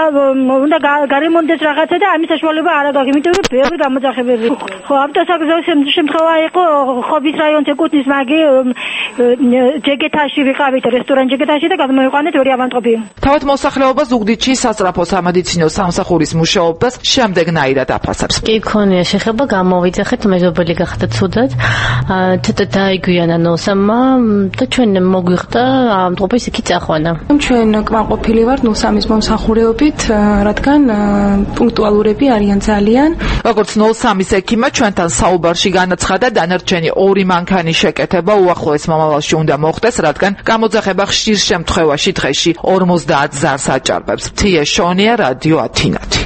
უნდა გარემონდეს რაღაცა და ამის საშუალება არ აქვს იმიტომ რომ ბევრი გამოძახებები ხო ავტოსაგზაოს შემთხვევა იყო ხობის რაიონს ეკუთვნის მაგი ჯეგეთაში ვიყავით რესტორან ჯეგეთაში და გადმოიყვანეთ ორი ავანტყოფი. თავად მოსახლეობა ზუგდიდში სასწრაფო სამედიცინო სამსახურის მუშაობას შემდეგნაირად აფასებს. კი ქონია შეხება გამოვიძახეთ მეზობელი გახდა ცუდად. ცოტა დაიგვიანა ნოსამმა და ჩვენ მოგვიხდა ამ დღეს იქი წახვანა. ჩვენ კმაყოფილი ვართ ნოსამის მომსახურებით, რადგან პუნქტუალურები არიან ძალიან. როგორც ნულ სამის ექიმმა ჩვენთან საუბარში განაცხადა, დანარჩენი ორი მანქანის შეკეთება უახლოეს მომავალში უნდა მოხდეს, რადგან გამოძახება ხშირ შემთხვევაში დღეში ორმოცდაათ ზარს აჭარბებს. თიაშონია, რადიო ათინათი.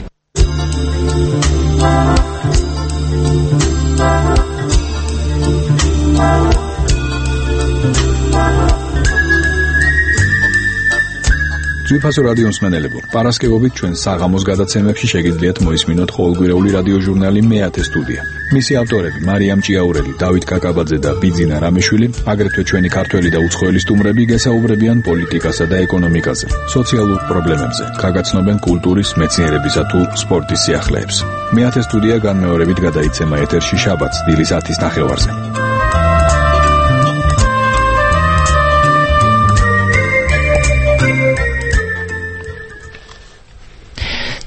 ძვირფასო რადიო მსმენელებო, პარასკევობით ჩვენ საღამოს გადაცემებში შეგიძლიათ მოისმინოთ ყოველკვირეული რადიო ჟურნალი მეათე სტუდია. მისი ავტორები მარიამ ჭიაურელი, დავით კაკაბაძე და ბიძინა რამიშვილი, აგრეთვე ჩვენი ქართველი და უცხოელი სტუმრები გესაუბრებიან პოლიტიკასა და ეკონომიკაზე, სოციალურ პრობლემებზე, გაგაცნობენ კულტურის, მეცნიერებისა თუ სპორტის სიახლეებს. მეათე სტუდია განმეორებით გადაიცემა ეთერში შაბათს დილის ათის ნახევარზე.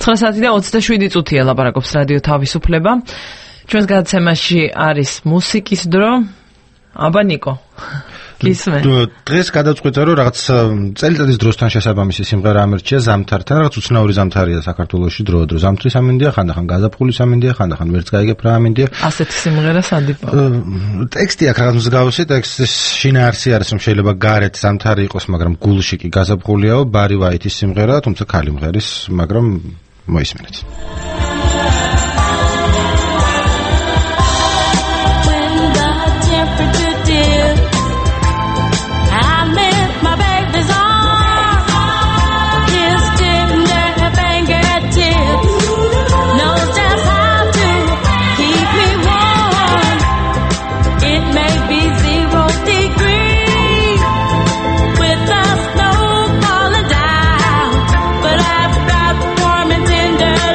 ცხრა საათი და ოცდაშვიდი წუთია ლაპარაკობს რადიო თავისუფლება. ჩვენს გადაცემაში არის მუსიკის დრო. აბა ნიკო. გისმენ. დღეს გადაწყვეტა რომ რაღაც წელიწადის დროსთან შესაბამისი სიმღერა ამერჩია ზამთართან, რაღაც უცნაური ზამთარია საქართველოში დროდადრო. ზამთრის ამინდია, ხანდახან გაზაფხულის ამინდია, ხანდახან ვერც გაიგებ რა ამინდია. ასეთი სიმღერა სადიპა. ტექსტი აქვს რაღაც მსგავსი, ტექსტის შინაარსი არის რომ შეიძლება გარეთ ზამთარი იყოს, მაგრამ გულში კი გაზაფხულიაო, ბარი ვაიტის სიმღერა, თუმცა ქალი მღერის, მაგრამ მოისმენთ.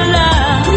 Love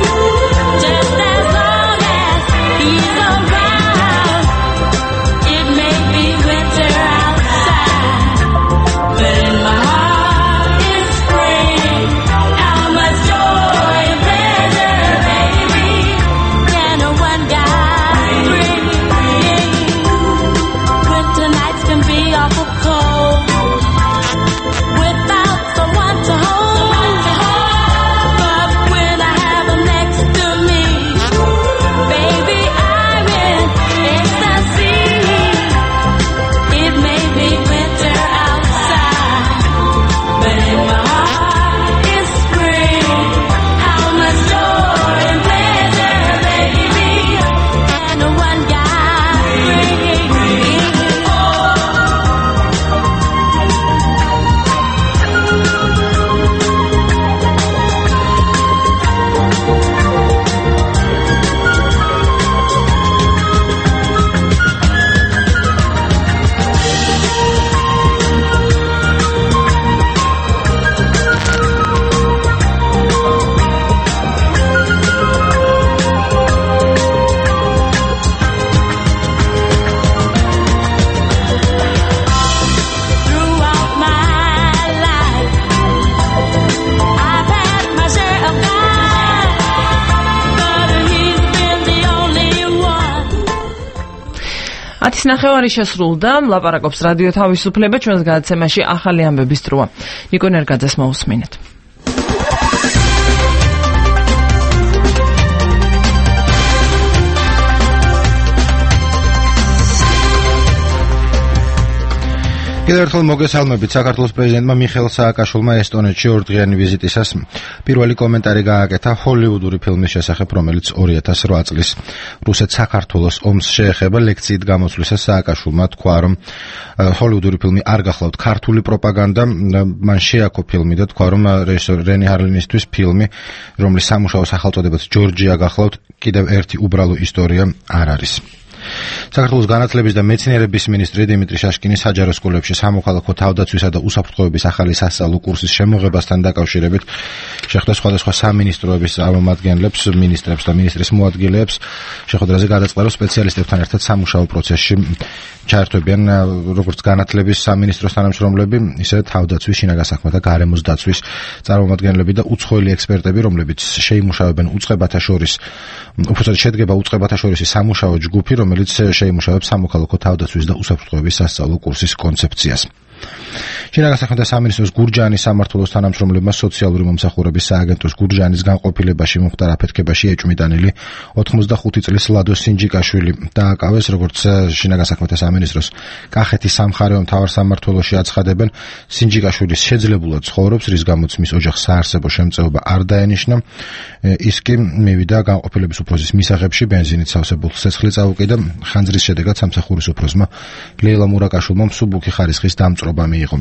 ათი ნახევარი შესრულდა, ლაპარაკობს რადიო თავისუფლება, ჩვენს გადაცემაში ახალი ამბების დროა. ნიკო ნერგაძეს მოусმინეთ. კიდევ ერთხელ მოგესალმებით. საქართველოს პრეზიდენტმა მიხეილ სააკაშვილმა ესტონეთში ორდღიანი ვიზიტისას პირველი კომენტარი გააკეთა ჰოლივუდური ფილმის შესახებ, რომელიც ორი ათას რვა წლის რუსეთ-საქართველოს ომს შეეხება. ლექციით გამოსვლისას სააკაშვილმა თქვა, რომ ჰოლივუდური ფილმი არ გახლავთ ქართული პროპაგანდა, მან შეაქო ფილმი და თქვა, რომ რეჟისორ რენი ჰარლინისთვის ფილმი, რომლის სამუშაო სახელწოდებაც ჯორჯია გახლავთ, კიდევ ერთი უბრალო ისტორია არ არის. საქართველოს განათლების და მეცნიერების მინისტრი დიმიტრი შაშკინი საჯარო სკოლებში სამოქალაქო თავდაცვისა და უსაფრთხოების ახალი სასწავლო კურსის შემოღებასთან დაკავშირებით შეხვდა სხვადასხვა სამინისტროების წარმომადგენლებს, მინისტრებს და მინისტრის მოადგილეებს. შეხვედრაზე გადაწყდა, რომ სპეციალისტებთან ერთად სამუშაო პროცესში ჩაერთვებიან როგორც განათლების სამინისტროს თანამშრომლები, ისე თავდაცვის, შინაგან საქმეთა და გარემოს დაცვის წარმომადგენლები და უცხოელი ექსპერტები, რომლებიც შეიმუშავებენ უწყებათა შორის, უბრალოდ შედგება უწყებათა შორისი სამუშაო ჯგუფი, რომელიც შეიმუშავებს სამოქალაქო თავდაცვის და უსაფრთხოების სასწავლო კურსის კონცეფციას. შინაგან საქმეთა სამინისტროს გურჯაანის სამმართველოს თანამშრომლებმა სოციალური მომსახურების სააგენტოს გურჯაანის განყოფილებაში მომხდარ აფეთქებაში ეჭვმიტანილი ოთხმოცდახუთი წლის ლადო სინჯიკაშვილი დააკავეს, როგორც შინაგან საქმეთა სამინისტროს კახეთის სამხარეო მთავარსამმართველოში აცხადებენ. სინჯიკაშვილის შეძლებულად ცხოვრობს, რის გამოც მის ოჯახს საარსებო შემწეობა არ დაენიშნა. ის კი მივიდა განყოფილების უფროსის მისაღებში, ბენზინით სავსებულ ცეცხლი წაუკიდა. ხანძრის შედეგად სამსახურის უფროსმა ლეილა მურაკაშვილმა მსუბუქი ხარისხის დამწვრობა მიიღო.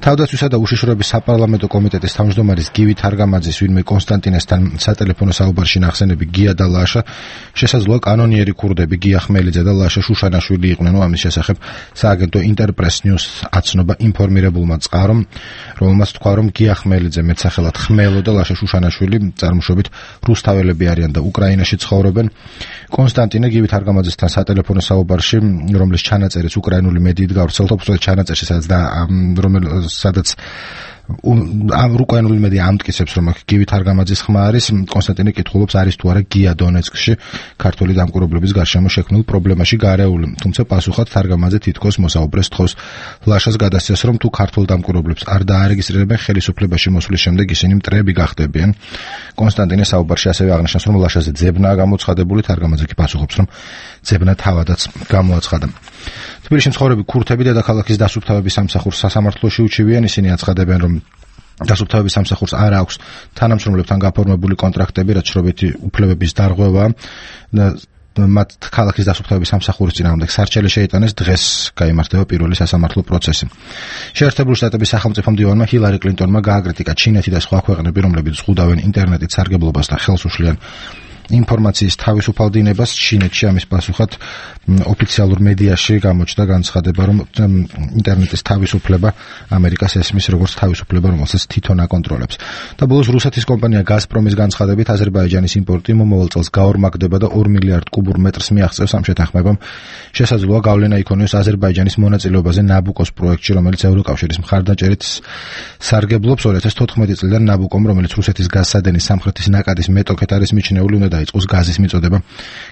თავდაცვისა და უშიშროების საპარლამენტო კომიტეტის თავმჯდომარის გივი თარგამაძის ვინმე კონსტანტინესთან სატელეფონო საუბარში ნახსენები გია და ლაშა შესაძლოა კანონიერი ქურდები გია ხმელიძე და ლაშა შუშანაშვილი იყვნენ. ამის შესახებ სააგენტო ინტერპრეს ნიუს აცნობა ინფორმირებულმა წყარომ, რომელმაც თქვა, რომ გია ხმელიძე მეტსახელად ხმელო და ლაშა შუშანაშვილი წარმოშობით რუსთაველები არიან და უკრაინაში ცხოვრობენ. კონსტანტინე გივი თარგამაძესთან სატელეფონო საუბარში, რომლის ჩანაწერიც უკრაინული მედიით გავრცელდა, უბრალოდ ჩანაწერში სადაც და რომელიც სადაც ამ უკრაინული მედია ამტკიცებს, რომ გივი თარგამაძის ხმა არის. კონსტანტინე კითხულობს, არის თუ არა გია დონეცკში ქართული დამკვირვებლების გარშემო შექმნილ პრობლემაში გარეული, თუმცა პასუხად თარგამაძე თითქოს მოსაუბრეს თხოვს. ლაშას გადასცეს, რომ თუ ქართულ დამკვირვებლებს არ დაარეგისტრირებენ ხელისუფლებაში მოსვლის შემდეგ ისინი მტრები გახდებიან. კონსტანტინე საუბარში ასევე აღნიშნავს, რომ ლაშაზე ძებნაა გამოცხადებული, თარგამაძე კი პასუხობს, რომ ძებნა თავადაც გამოაცხადა. თბილისში მცხოვრები ქურთები დედაქალაქის დასუფთავების სამსახურს სასამართლოში უჩივიან. ისინი აცხადებენ, რომ დასუფთავების სამსახურს არ აქვს თანამშრომლებთან გაფორმებული კონტრაქტები, რაც შრობითი უფლებების დარღვევაა. მათ ქალაქის დასუფთავების სამსახურის წინააღმდეგ სარჩელი შეიტანეს, დღეს გაიმართება პირველი სასამართლო პროცესი. შეერთებული შტატების სახელმწიფო მდივანმა ჰილარი კლინტონმა გააკრიტიკა ჩინეთი და სხვა ქვეყნები, რომლებიც ზღუდავენ ინტერნეტით სარგებლობას და ხელს უშლიან ინფორმაციის თავისუფალ დინებას. ჩინეთში ამის პასუხად ოფიციალურ მედიაში გამოჩნდა განცხადება, რომ ინტერნეტის თავისუფლება ამერიკას ესმის როგორც თავისუფლება, რომელსაც თვითონ აკონტროლებს. და ბოლოს რუსეთის კომპანია გაზპრომის განცხადებით აზერბაიჯანის იმპორტი მომავალ წელს გაორმაგდება და ორ მილიარდ კუბურ მეტრს მიაღწევს. ამ შეთანხმებამ შესაძლოა გავლენა იქონიოს აზერბაიჯანის მონაწილეობაზე ნაბუკოს პროექტში, რომელიც ევროკავშირის მხარდაჭერით სარგებლობს. ორი ათას თოთხმეტი წლიდან ნაბუკომ, რომელიც რუსეთის გაზსადენის სამხრეთის ნაკადის მეტოქეთ არის მიჩნეული, უნდა დაიწყოს გაზის მიწოდება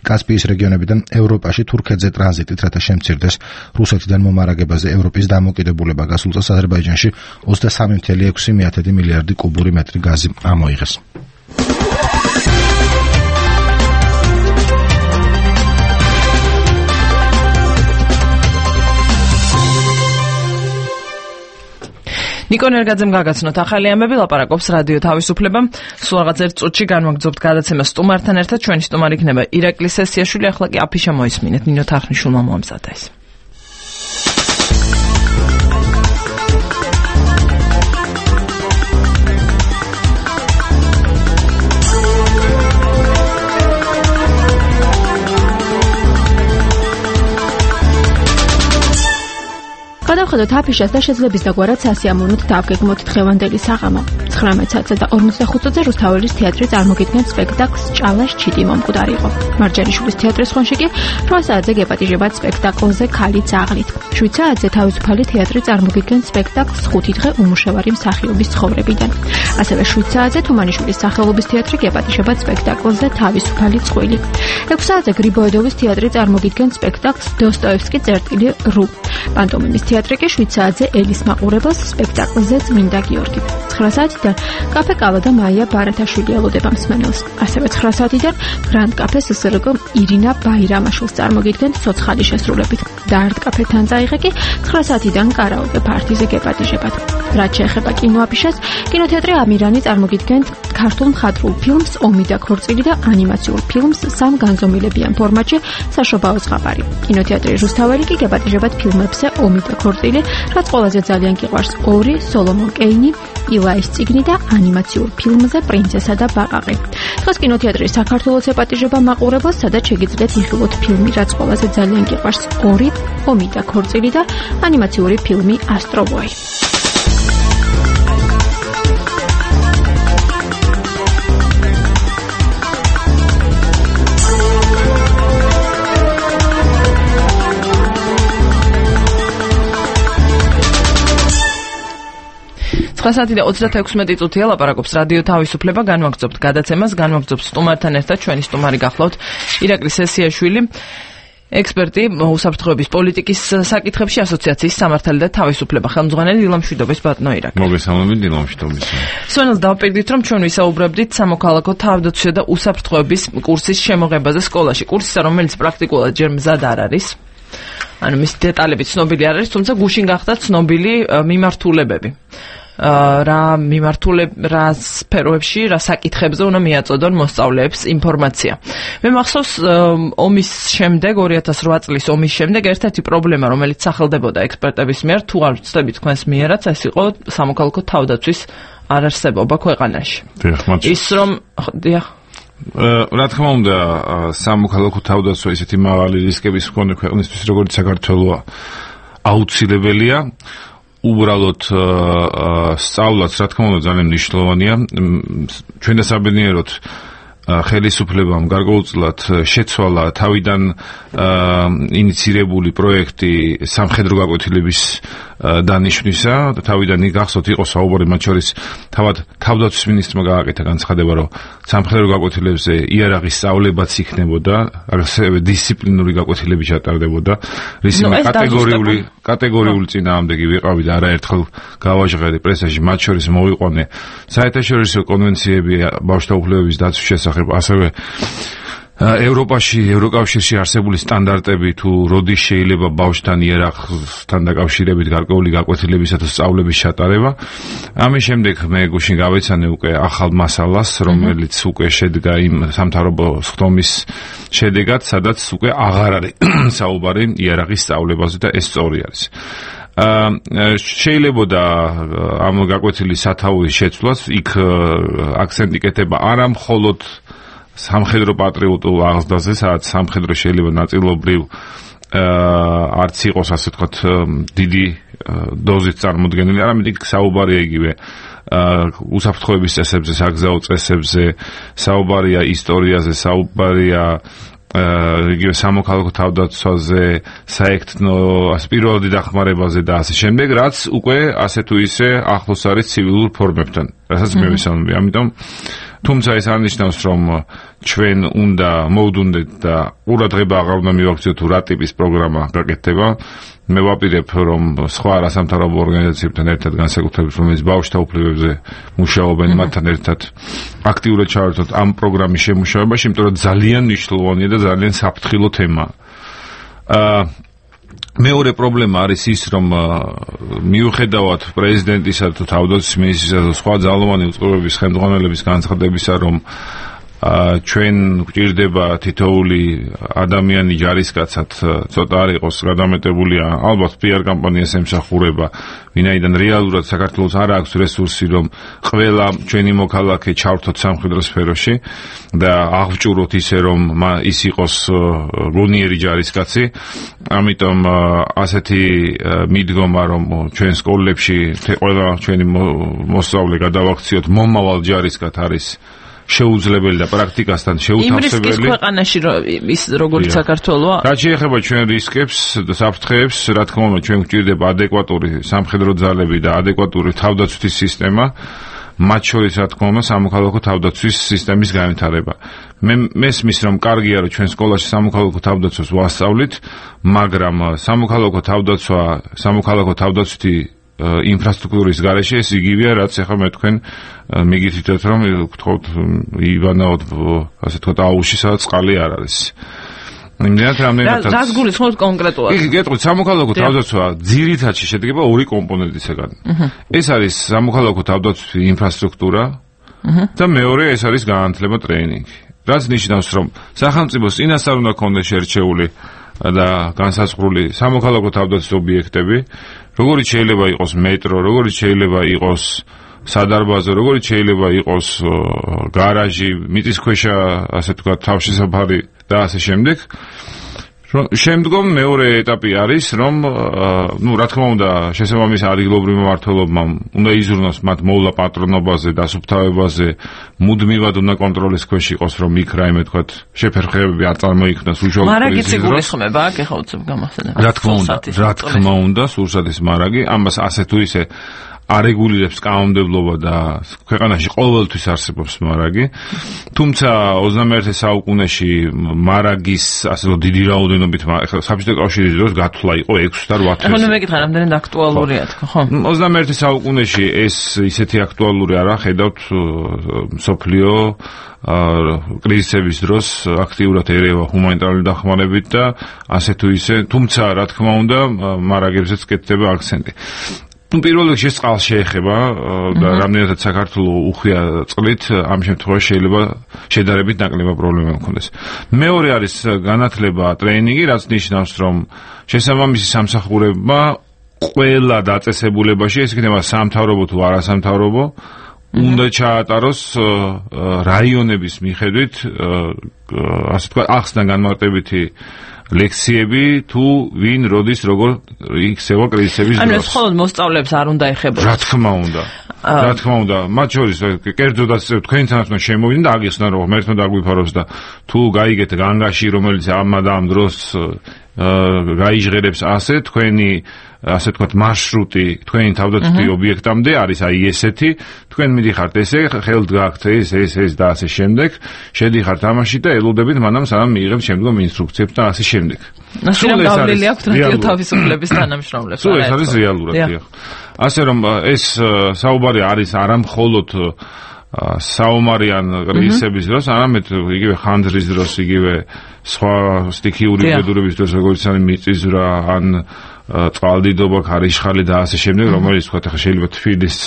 კასპიის რეგიონებიდან ევროპაში თურქეთზე ტრანზიტით, რათა შემცირდეს რუსეთიდან მომარაგებაზე ევროპის დამოკიდებულება. გასულ წელს აზერბაიჯანში ოცდასამი კoma ექვსი მილიარდი კუბური მეტრი გაზი ამოიღეს. ნიკო ნერგაძემ გაგაცნოთ ახალი ამბები, ლაპარაკობს რადიო თავისუფლება. სულ რაღაც ერთ წუთში განვაგრძობთ გადაცემას სტუმართან ერთად. ჩვენი სტუმარი იქნება ირაკლი სესიაშვილი. ახლა კი აფიშა მოისმინეთ, ნინო თარხნიშვილმა მოამზადა ეს. გადავხედოთ აფიშას და შეძლების დაგვარად სასიამოვნოდ დავგეგმოთ დღევანდელი საღამო. ცხრამეტ საათსა და ორმოცდახუთ წუთზე რუსთაველის თეატრი წარმოგიდგენს სპექტაკლს ჭალას ჩიტი მომკვდარი იყო. მარჯანიშვილის თეატრის ხონში კი რვა საათზე გეპატიჟებათ სპექტაკლზე ქალი ძაღლით. შვიდ საათზე თავისუფალი თეატრი წარმოგიდგენს სპექტაკლს ხუთი დღე უმუშევარი მსახიობის ცხოვრებიდან. ასევე შვიდ საათზე თუმანიშვილის სახელობის თეატრი გეპატიჟებათ სპექტაკლზე თავისუფალი წყვილი. ექვს საათზე გრიბოედოვის თეატრი წარმოგიდგენს სპექტაკლს დოსტოევსკი წერტილი რო. პანტომიმის თეატრი კი შვიდ საათზე ელის მაყურებელს სპექტაკლზე წმინდა გიორგი. ცხრა საათიდან კაფე კალა და მაია ბარათაშვილი ელოდება მსმენელს. ასევე ცხრა საათიდან გრანდ კაფე სსრგ ირინა ბაირამაშვილს წარმოგიდგენთ ცოცხალი შესრულებით. და არტ კაფე თანძაიღე კი ცხრა საათიდან კარაოკე პარტიზე გეპატიჟებათ. რაც შეეხება კინოაფიშას, კინოთეატრი ამირანი წარმოგიდგენთ ქართულ მხატვრულ ფილმს ომი და ქორწილი და ანიმაციურ ფილმს სამ განზომილებიან ფორმატში საშობაო ზღაპარი. კინოთეატრი რუსთაველი კი გეპატიჟებათ ფილმებზე ომი და ქორწილი, რაც ყველაზე ძალიან გიყვარს ორი, სოლომონ კეინი, ილაის წიგნი და ანიმაციურ ფილმზე პრინცესა და ბაყაყი. დღეს კინოთეატრი საქართველოს ეპატიჟება მაყურებელს, სადაც შეგიძლიათ იხილოთ ფილმი, რაც ყველაზე ძალიან გიყვარს ორი, ომი და ქორწილი და ანიმაციური ფილმი ასტრობოი. ცხრა საათი და ოცდაექვსი წუთია ლაპარაკობს რადიო თავისუფლება, განვაგრძობთ გადაცემას, განვაგრძობთ სტუმართან ერთად, ჩვენი სტუმარი გახლავთ ირაკლი სესიაშვილი, ექსპერტი უსაფრთხოების პოლიტიკის საკითხებში ასოციაციის სამართალი და თავისუფლება ხელმძღვანელი დილამშვიდობის ბატონო ირაკლი. მოგესალმებით დილამშვიდობის. სვენელს დავპირდით, რომ ჩვენ ვისაუბრებდით სამოქალაქო თავდაცვისა და უსაფრთხოების კურსის შემოღებაზე სკოლაში. კურსისა, რომელიც პრაქტიკულად ჯერ მზად არ არის. ანუ მის დეტალები ცნობილი არ არის, თუმცა გუშინ გახდა ცნობილი მიმართულებები. რა მიმართულებ რა სფეროებში, რა საკითხებზე უნდა მიაწოდონ მოსწავლეებს ინფორმაცია. მე მახსოვს ომის შემდეგ, ორი ათას რვა წლის ომის შემდეგ ერთ-ერთი პრობლემა, რომელიც სახელდებოდა ექსპერტების მიერ, თუ არ ვცდებით თქვენს მიერაც, ეს იყო სამოქალაქო თავდაცვის არარსებობა ქვეყანაში. ის რომ დიახ რა თქმა უნდა, სამოქალაქო თავდაცვა ისეთი მაღალი რისკების მქონე ქვეყნისთვის, როგორც საქართველოა, აუცილებელია. უბრალოდ სწავლაც, რა თქმა უნდა, ძალიან მნიშვნელოვანია. ჩვენ და საბედნიეროდ ხელისუფლებამ გარკვეულწილად შეცვალა თავიდან ინიცირებული პროექტი სამხედრო გაკვეთილების დანიშვნისა. თავიდან გახსოვთ, იყო საუბარი მათ შორის თავად თავდაცვის მინისტრმა გააკეთა განცხადება, რომ სამხედრო გაკვეთილებზე იარაღის სწავლებაც იქნებოდა, ასევე დისციპლინური გაკვეთილები ჩატარდებოდა. რისიმე კატეგორიული კატეგორიული წინააღმდეგი ვიყავი და არაერთხელ გავაჟღერე პრესაში, მათ შორის მოვიყვანე საერთაშორისო კონვენციები ბავშვთა უფლებების დაცვის შესახებ, ასევე ევროპაში, ევროკავშირში არსებული სტანდარტები, თუ როდის შეიძლება ბავშვთან იარაღთან დაკავშირებით გარკვეული გაკვეთილებისა თუ სწავლების ჩატარება. ამის შემდეგ მე გუშინ გავეცანე უკვე ახალ მასალას, რომელიც უკვე შედგა იმ სამთავრობო სხდომის შედეგად, სადაც უკვე აღარ არის საუბარი იარაღის სწავლებაზე და ეს სწორი არის. შეიძლება და ამ გაკვეთილის სათავის შეცვლას იქ აქცენტი კეთება არა მხოლოდ სამხედრო პატრიოტულ აღზრდაზე, სადაც სამხედრო შეიძლება ნაწილობრივ არც იყოს, ასე ვთქვათ, დიდი დოზით წარმოდგენილი, არამედ იქ საუბარია იგივე უსაფრთხოების წესებზე, საგზაო წესებზე, საუბარია ისტორიაზე, საუბარია იგივე სამოქალაქო თავდაცვაზე, საექთნო პირველადი დახმარებაზე და ასე შემდეგ, რაც უკვე ასე თუ ისე ახლოს არის ცივილურ ფორმებთან, რასაც მე ვისაუბრები. ამიტომ თუმცა ეს არნიშნავს, რომ ჩვენ უნდა მოვდუნდეთ და ყურადღება აღარ უნდა მივაქციოთ, თუ რა ტიპის პროგრამა გაკეთდება. მე ვაპირებ, რომ სხვა არასამთავრობო ორგანიზაციებთან ერთად, განსაკუთრებით რომელიც ბავშვთა უფლებებზე მუშაობენ, მათთან ერთად აქტიურად ჩავერთოთ ამ პროგრამის შემუშავებაში, იმიტომ რომ ძალიან მნიშვნელოვანია და ძალიან საფრთხილო თემაა. მეორე პრობლემა არის ის, რომ მიუხედავად პრეზიდენტისა თუ თავდაცვის მინისტრისა თუ სხვა ძალოვანი უწყებების ხელმძღვანელების განცხადებისა, რომ ჩვენ გვჭირდება თითოეული ადამიანი ჯარისკაცად ცოტა არ იყოს გადამეტებული ალბათ პიარ კამპანიას ემსახურება ვინაიდან რეალურად საქართველოს არ აქვს რესურსი რომ ყველა ჩვენი მოქალაქე ჩავრთოთ სამხედრო სფეროში და აღჭუროთ ისე რომ ის იყოს გონიერი ჯარისკაცი ამიტომ ასეთი მიდგომა რომ ჩვენ სკოლებში ყველა ჩვენი მოსწავლე გადავაქციოთ მომავალ ჯარისკაცად არის შეუძლებელი და პრაქტიკასთან შეუთავსებელი. იმ რისკის ქვეყანაში ის როგორც საქართველოა? რაც შეეხება ჩვენ რისკებს და საფრთხეებს, რა თქმა უნდა, ჩვენ გვჭირდება ადეკვატური სამხედრო ძალები და ადეკვატური თავდაცვის სისტემა, მათ შორის რა თქმა უნდა, სამოქალაქო თავდაცვის სისტემის განვითარება. მე მესმის რომ კარგია რომ ჩვენ სკოლაში სამოქალაქო თავდაცვას ვასწავლით, მაგრამ სამოქალაქო თავდაცვა, სამოქალაქო თავდაცვითი ინფრასტრუქტურის გარეშე ეს იგივეა რაც ახლა მე თქვენ მიგითითოთ რომ გთხოვთ ივანაოდ ასე თქვა აუში სადაც წყალი არ არის იმდენად რამდენად რაც გულისხმობთ კონკრეტულად იგი გეტყვით სამოქალაქო თავდაცვა ძირითადში შედგება ორი კომპონენტისგან ეს არის სამოქალაქო თავდაცვის ინფრასტრუქტურა და მეორე ეს არის განათლება ტრეინინგი რაც ნიშნავს რომ სახელმწიფოს წინასწარ უნდა ქონდეს შერჩეული და განსაზღვრული სამოქალაქო თავდაცვის ობიექტები როგორიც შეიძლება იყოს მეტრო, როგორიც შეიძლება იყოს სადარბაზო, როგორიც შეიძლება იყოს გარაჟი, მიწისქვეშა, ასე თქვა, თავშესაფარი და ასე შემდეგ. შემდგომ მეორე ეტაპი არის, რომ ნუ რა თქმა უნდა, შესაბამის ადგილობრივ მმართველობამ უნდა იზრუნოს მათ მოვლა პატრონობაზე, დასუფთავებაზე, მუდმივად უნდა კონტროლის ქვეშ იყოს, რომ იქ რაიმე თქვა, შეფერხებები არ წარმოიქმნას უშუალოდ. მარაგიც იგულისხმება, აქ ეხლა უცებ გამახსენებ. რა თქმა უნდა, რა თქმა უნდა, სურსათის მარაგი, ამას ასე თუ ისე არეგულირებს კანონმდებლობა და ქვეყანაში ყოველთვის არსებობს მარაგი. თუმცა ოცდამეერთე საუკუნეში მარაგის ასე რომ დიდი რაოდენობით ახლა საბჭოთა კავშირის დროს გათვლა იყო ექვსი და ოთხი წელი. ახლა მე მეკითხა რამდენად აქტუალურია თქო, ხო? ოცდამეერთე საუკუნეში ეს ისეთი აქტუალური არა, ხედავთ მსოფლიო კრიზისების დროს აქტიურად ერევა ჰუმანიტარული დახმარებით და ასე თუ ისე, თუმცა რა თქმა უნდა მარაგებზეც კეთდება აქცენტი. პირველ რიგში წყალს შეეხება და რამდენადაც საქართველოს უხვია წყლით, ამ შემთხვევაში შეიძლება შედარებით ნაკლებად პრობლემა მქონდეს. მეორე არის განათლება, ტრეინინგი, რაც ნიშნავს, რომ შესაბამისი სამსახურებმა ყველა დაწესებულებაში, ეს იქნება სამთავრობო თუ არასამთავრობო, უნდა ჩაატაროს რაიონების მიხედვით, ასე თქვა, ახსნა განმარტებითი ლექციები თუ ვინ როდის როგორ იქცევა კრიზისების დროს. ანუ ეს მხოლოდ მოსწავლეებს არ უნდა ეხებოდეს. რა თქმა უნდა. რა თქმა უნდა, მათ შორის კერძოდ ასე თქვენთანაც უნდა შემოვიდნენ და აგიხსნა რომ ღმერთმა დაგვიფაროს და თუ გაიგეთ განგაში რომელიც ამ და ამ დროს გაიჟღერებს ასე თქვენი ასე თქვათ მარშრუტი თქვენი თავდაცვითი ობიექტამდე არის აი ესეთი თქვენ მიდიხართ ესე ხელთ გაქვთ ეს ეს ეს და ასე შემდეგ შედიხართ ამაში და ელოდებით მანამ სანამ მიიღებთ შემდგომ ინსტრუქციებს და ასე შემდეგ. სულ ეს გავლილი აქვს რადიო თავისუფლების თანამშრომლებს. სულ ეს არის რეალურად დიახ. ასე რომ ეს საუბარი არის არა მხოლოდ საომარიან კრიზისების დროს, არამედ იგივე ხანძრის დროს, იგივე სხვა სტიქიური უბედურების დროს, როგორც არის მიწისძვრა, ან წყალდიდობა, ქარიშხალი და ასე შემდეგ, რომელიც თქვა ახლა შეიძლება თბილის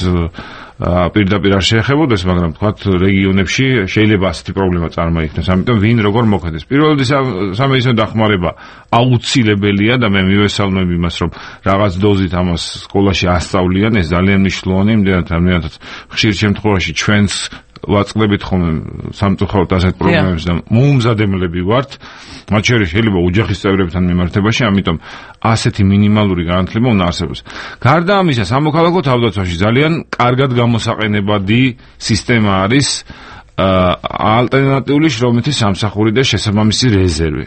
პირდაპირ არ შეეხებოდეს, მაგრამ თქვა რეგიონებში შეიძლება ასეთი პრობლემა წარმოიქმნას. ამიტომ ვინ როგორ მოქმედებს. პირველ რიგში სამედიცინო დახმარება აუცილებელია და მე მივესალმებ იმას, რომ რაღაც დოზით ამას სკოლაში ასწავლიან, ეს ძალიან მნიშვნელოვანია, იმდენად რამდენადაც ხშირ შემთხვევაში ჩვენს ვაწყდებით ხოლმე სამწუხაროდ ასეთ პრობლემებს და მოუმზადებლები ვართ, მათ შორის შეიძლება ოჯახის წევრებთან მიმართებაში, ამიტომ ასეთი მინიმალური განათლება უნდა არსებობს. გარდა ამისა, სამოქალაქო თავდაცვაში ძალიან კარგად გამოსაყენებადი სისტემა არის ალტერნატიული შრომითი სამსახური და შესაბამისი რეზერვი,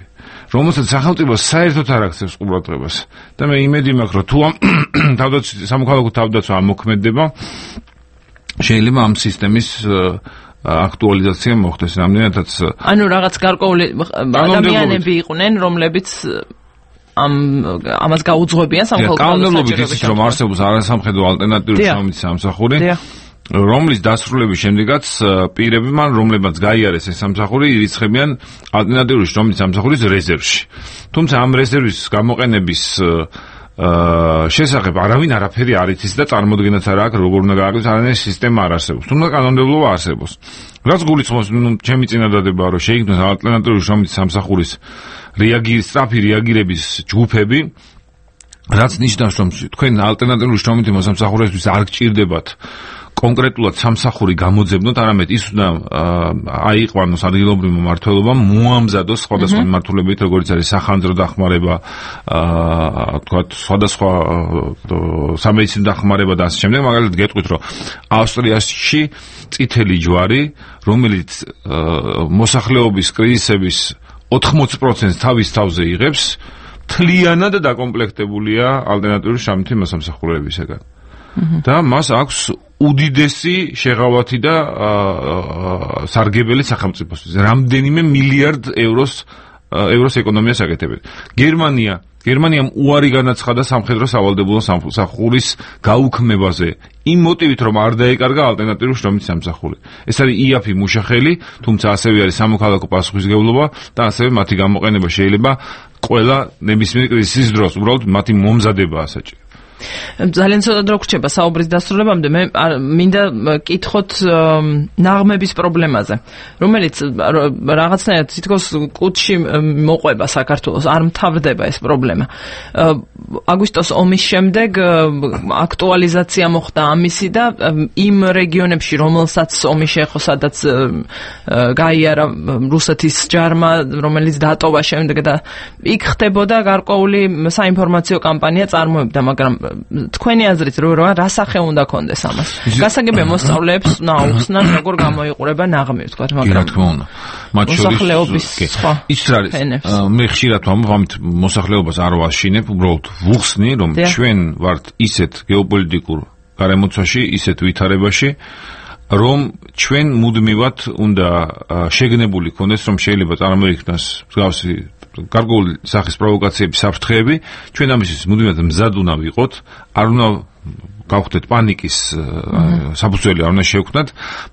რომელსაც სახელმწიფო საერთოდ არ აქცევს ყურადღებას. და მე იმედი მაქვს, რომ თუ თავდაცვის სამოქალაქო თავდაცვა ამოქმედება, შეიძლება ამ სისტემის აქტუალიზაცია მოხდეს რამდენადაც ანუ რაღაც გარკვეული ადამიანები იყვნენ რომლებიც ამ ამას გაუძღვებიან სამხელმოქმედო კანონმდებლობით ისიც რომ არსებობს არასამხედრო ალტერნატიული შრომითი სამსახური რომლის დასრულების შემდეგაც პირები მან რომლებმაც გაიარეს ეს სამსახური ირიცხებიან ალტერნატიული შრომითი სამსახურის რეზერვში. თუმცა ამ რეზერვის გამოყენების შესახებ არავინ არაფერი არ იცის და წარმოდგენაც არ აქვს როგორ უნდა გააკეთოს, არანაირი სისტემა არ არსებობს. თუმცა კანონმდებლობა არსებობს. რაც გულისხმობს, ნუ ჩემი წინადადებაა, რომ შეიქმნას ალტერნატიული შრომითი სამსახურის რეაგირ სწრაფი რეაგირების ჯგუფები, რაც ნიშნავს, რომ თქვენ ალტერნატიული შრომითი მოსამსახურეებისთვის არ გჭირდებათ კონკრეტულად სამსახური გამოძებნოთ, არამედ ის უნდა აიყვანოს ადგილობრივ მმართველობამ, მოამზადოს სხვადასხვა მიმართულებით, როგორც არის სახანძრო დახმარება, თქვათ, სხვადასხვა სამედიცინო დახმარება და ასე შემდეგ. მაგალითად გეტყვით, რომ ავსტრიაში წითელი ჯვარი, რომელიც მოსახლეობის კრიზისების ოთხმოცი პროცენტს თავის თავზე იღებს, მთლიანად დაკომპლექტებულია ალტერნატიული შრომითი მოსამსახურეებისგან. და მას აქვს უდიდესი შეღავათი და სარგებელი სახელმწიფოსთვის. რამდენიმე მილიარდ ევროს ევროს ეკონომიას აკეთებენ. გერმანია გერმანიამ უარი განაცხადა სამხედრო სავალდებულო სამსახურის გაუქმებაზე იმ მოტივით, რომ არ დაეკარგა ალტერნატიული შრომითი სამსახური. ეს არის იაფი მუშახელი, თუმცა ასევე არის სამოქალაქო პასუხისმგებლობა და ასევე მათი გამოყენება შეიძლება ყველა ნებისმიერ კრიზისის დროს, უბრალოდ მათი მომზადებაა საჭირო. ძალიან ცოტა დრო გრჩება საუბრის დასრულებამდე. მე მინდა კითხოთ ნაღმების პრობლემაზე, რომელიც რაღაცნაირად თითქოს კუთში მოყვება საქართველოს, არ მთავრდება ეს პრობლემა. აგვისტოს ომის შემდეგ აქტუალიზაცია მოხდა ამისი და იმ რეგიონებში, რომელსაც ომი შეეხო, სადაც გაიარა რუსეთის ჯარმა, რომელიც დატოვა შემდეგ და იქ ხდებოდა გარკვეული საინფორმაციო კამპანია წარმოებდა, მაგრამ თქვენი აზრით რა რა სახე უნდა კონდეს ამას? გასაგებია მოსწავლეებს უნდა აუხსნან როგორ გამოიყურება ნაღმი, ვთქვათ, მაგრამ რა თქმა უნდა. მათ შორის ის არის, მე ხშირად ვამბობ, ამით მოსახლეობას არ ვაშინებ, უბრალოდ ვუხსნი, რომ ჩვენ ვართ ისეთ გეოპოლიტიკურ გარემოცვაში, ისეთ ვითარებაში, რომ ჩვენ მუდმივად უნდა შეგნებული ქონდეს, რომ შეიძლება წარმოიქმნას მსგავსი გარკვეული სახის პროვოკაციების საფრთხეები, ჩვენ ამისთვის მუდმივად მზად უნდა ვიყოთ, არ უნდა გავხდეთ პანიკის საფუძველი არ უნდა შევქმნათ,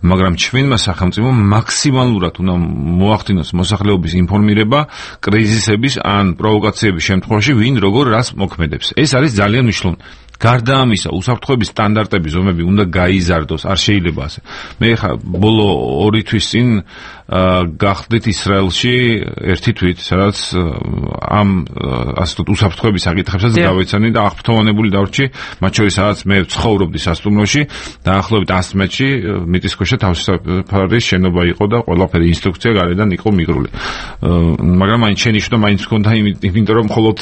მაგრამ ჩვენმა სახელმწიფომ მაქსიმალურად უნდა მოახდინოს მოსახლეობის ინფორმირება კრიზისების ან პროვოკაციების შემთხვევაში, ვინ როგორ რას მოქმედებს. ეს არის ძალიან მნიშვნელოვანი. გარდა ამისა, უსაფრთხოების სტანდარტების ზომები უნდა გაიზარდოს, არ შეიძლება ასე. მე ხა ბოლო ორი თვის წინ გახდით ისრაელში ერთი თვით, სადაც ამ ასე ვთქვათ უსაფრთხოების საკითხებსაც გავეცანი და აღფრთოვანებული დავრჩი, მათ შორის სადაც მე ვცხოვრობდი სასტუმროში, დაახლოებით ას მეტრში მიწისქვეშა თავისუფალი შენობა იყო და ყველაფერი ინსტრუქცია გარედან იყო მიგრული. მაგრამ მაინც შენიშვნა მაინც ჰქონდა, იმიტომ რომ მხოლოდ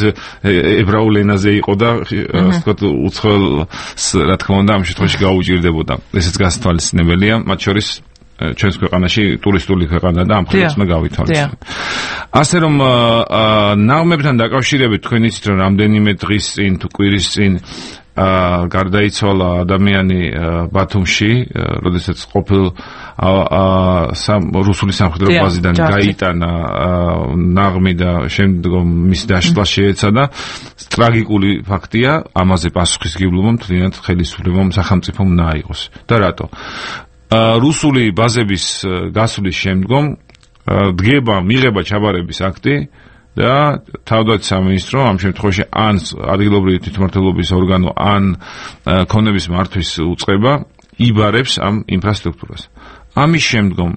ებრაულ ენაზე იყო და ასე ვთქვათ უცხოელს რა თქმა უნდა ამ შემთხვევაში გაუჭირდებოდა. ესეც გასათვალისწინებელია, მათ შორის ჩვენს ქვეყანაში ტურისტული ქვეყანა და ამ ხელს უნდა გავითვალისწინოთ. ასე რომ ნაღმებთან დაკავშირებით თქვენ იცით რომ რამდენიმე დღის წინ თუ კვირის წინ გარდაიცვალა ადამიანი ბათუმში, როდესაც ყოფილ რუსული სამხედრო ბაზიდან გაიტანა ნაღმი და შემდგომ მის დაშლა შეეცადა. ტრაგიკული ფაქტია, ამაზე პასუხისმგებლობა მთლიანად ხელისუფლებამ სახელმწიფომ უნდა აიღოს. და რატო? რუსული ბაზების გასვლის შემდგომ დგება მიღება ჩაბარების აქტი და თავდაცვის სამინისტრო ამ შემთხვევაში ან ადგილობრივი თვითმმართველობის ორგანო ან ქონების მართვის უწყება იბარებს ამ ინფრასტრუქტურას. ამის შემდგომ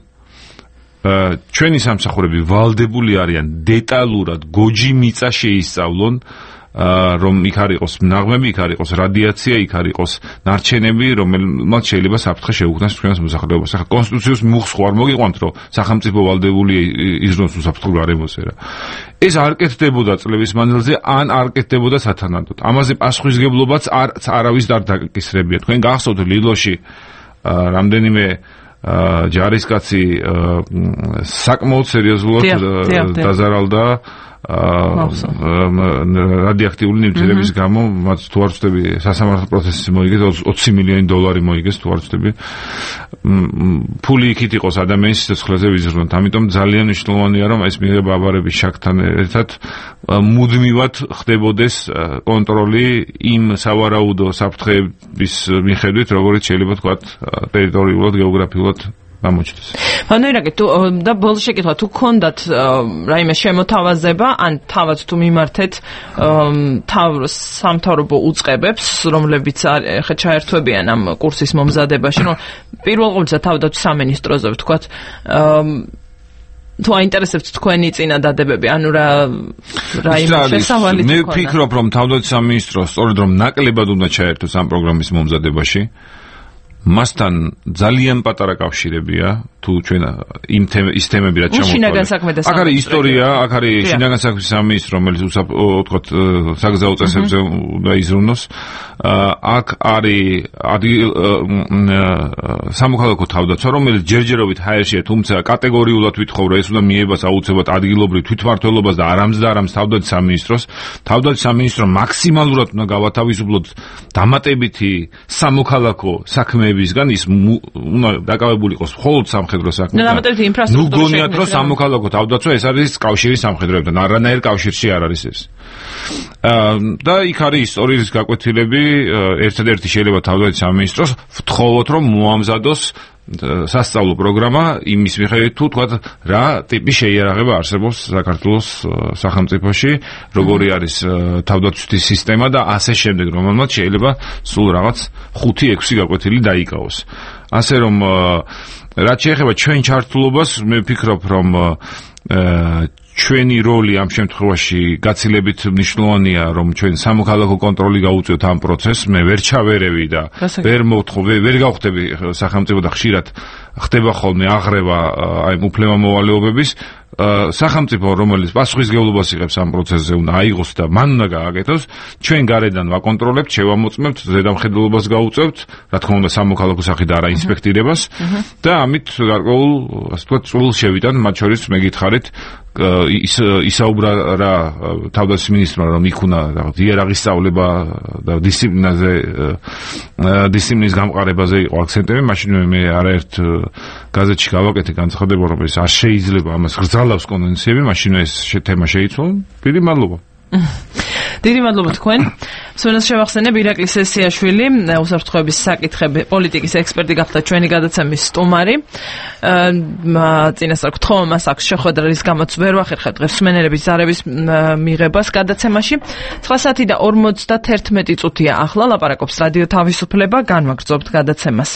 ჩვენი სამსახურები ვალდებული არიან დეტალურად გოჯი მიწა შეისწავლონ, რომ იქ არ იყოს ნაღმები, იქ არ იყოს რადიაცია, იქ არ იყოს ნარჩენები, რომელმაც შეიძლება საფრთხე შეუქმნას ჩვენს მოსახლეობას. ახლა კონსტიტუციას მუხს ხო არ მოგიყვანთ, რომ სახელმწიფო ვალდებულია იზრუნოს უსაფრთხო გარემოზე რა. ეს არ კეთდებოდა წლების მანძილზე, ან არ კეთდებოდა სათანადოდ. ამაზე პასუხისმგებლობაც არ არავის არ დაკისრებია. თქვენ გახსოვთ ლილოში რამდენიმე ჯარისკაცი საკმაოდ სერიოზულად დაზარალდა რადიოაქტიული ნივთიერების გამო, მათ თუ არ ვწდები სასამართლო პროცესი მოიგეს, ოცი მილიონი დოლარი მოიგეს, თუ არ ვწდები. ფული იქით იყოს ადამიანის სიცოცხლეზე ვიზრუნოთ. ამიტომ ძალიან მნიშვნელოვანია, რომ ეს მიღება აბარების შაქთან ერთად მუდმივად ხდებოდეს კონტროლი იმ სავარაუდო საფრთხეების მიხედვით, როგორც შეიძლება თქვა ტერიტორიულად, გეოგრაფიულად გამოჩნდეს. ანუ ირაკი თუ და ბოლოს შეკითხვა თუ გქონდათ რაიმე შემოთავაზება ან თავად თუ მიმართეთ სამთავრობო უწყებებს რომლებიც ხა ჩაერთვებიან ამ კურსის მომზადებაში რომ პირველ ყოვლისა თავდაცვის სამინისტროზე ვთქვათ თუ აინტერესებთ თქვენი წინადადებები ანუ რა რაიმე შესავალი მე ვფიქრობ რომ თავდაცვის სამინისტრო სწორედ რომ ნაკლებად უნდა ჩაერთოს ამ პროგრამის მომზადებაში მასთან ძალიან პატარა კავშირებია თუ ჩვენ იმ ის თემები რაც ჩამოყალიბდა. აქ არის ისტორია, აქ არის შინაგან საქმეთა სამინისტრო, რომელიც უცებ საგზაო წესებზე უნდა იზრუნოს. აქ არის სამოქალაქო თავდაცვა, რომელიც ჯერჯერობით ჰაერშია, თუმცა კატეგორიულად ვითხოვ, რომ ეს უნდა მიებას აუცილებლად ადგილობრივ თვითმმართველობას და არამც და არამც თავდაცვის სამინისტროს. თავდაცვის სამინისტრო მაქსიმალურად უნდა გავათავისუფლოთ დამატებითი სამოქალაქო საქმეებისგან, ის უნდა დაკავებული იყოს მხოლოდ სამხედრო საქმეებით. ნუ გონიათ რომ სამოქალაქო თავდაცვა ეს არის კავშირის სამხედროებთან, არანაირ კავშირში არ არის ეს. და იქ არის ისტორიის გაკვეთილები, ერთადერთი შეიძლება თავდაცვის სამინისტროს ვთხოვოთ რომ მოამზადოს სასწავლო პროგრამა იმის მიხედვით თუ თქვა რა ტიპის შეიარაღება არსებობს საქართველოს სახელმწიფოში, როგორი არის თავდაცვის სისტემა და ასე შემდეგ, რომელმაც შეიძლება სულ რაღაც ხუთი ექვსი გაკვეთილი დაიკავოს. ასე რომ რაც შეეხება ჩვენ ჩართულობას, მე ვფიქრობ რომ ჩვენი როლი ამ შემთხვევაში გაცილებით მნიშვნელოვანია, რომ ჩვენ სამოქალაქო კონტროლი გაუწიოთ ამ პროცესს. მე ვერ ჩავერევი და ვერ მოთხოვ, ვერ გავხდები სახელმწიფო და ხშირად ხდება ხოლმე აღრევა აი უფლებამოვალეობების სახელმწიფო, რომელიც პასუხისმგებლობას იღებს ამ პროცესზე, უნდა აიღოს და მან უნდა გააკეთოს. ჩვენ გარედან ვაკონტროლებთ, შევამოწმებთ, ზედამხედველობას გაუწევთ, რა თქმა უნდა სამოქალაქო სახით არა ინსპექტირებას და ამით გარკვეულ, ასე ვთქვათ, წვლილს შევიტან, მათ შორის მეკითხარით ის ისაუბრა რა თავდაცვის მინისტრმა რომ იქ უნდა რაღაც იერარქიის სწავლება და დისციპლინაზე დისციპლინის გამყარებაზე იყო აქცენტები, მაშინ მე არაერთ გაზეთში გავაკეთე განცხადება რომ ეს არ შეიძლება ამას გრძალავს კონვენციები, მაშინ ეს თემა შეიცვალა. დიდი მადლობა. დიდი მადლობა თქვენ. სვენას შევახსენებ ირაკლი სესიაშვილი, უსაფრთხოების საკითხები პოლიტიკის ექსპერტი გახდა ჩვენი გადაცემის სტუმარი. წინასწარ გთხოვ მას აქვს შეხვედრა, რის გამოც ვერ ვახერხებ დღეს მსმენელების ზარების მიღებას გადაცემაში. ცხრა საათი და ორმოცდაერთმეტი წუთია ახლა ლაპარაკობს რადიო თავისუფლება, განვაგრძობთ გადაცემას.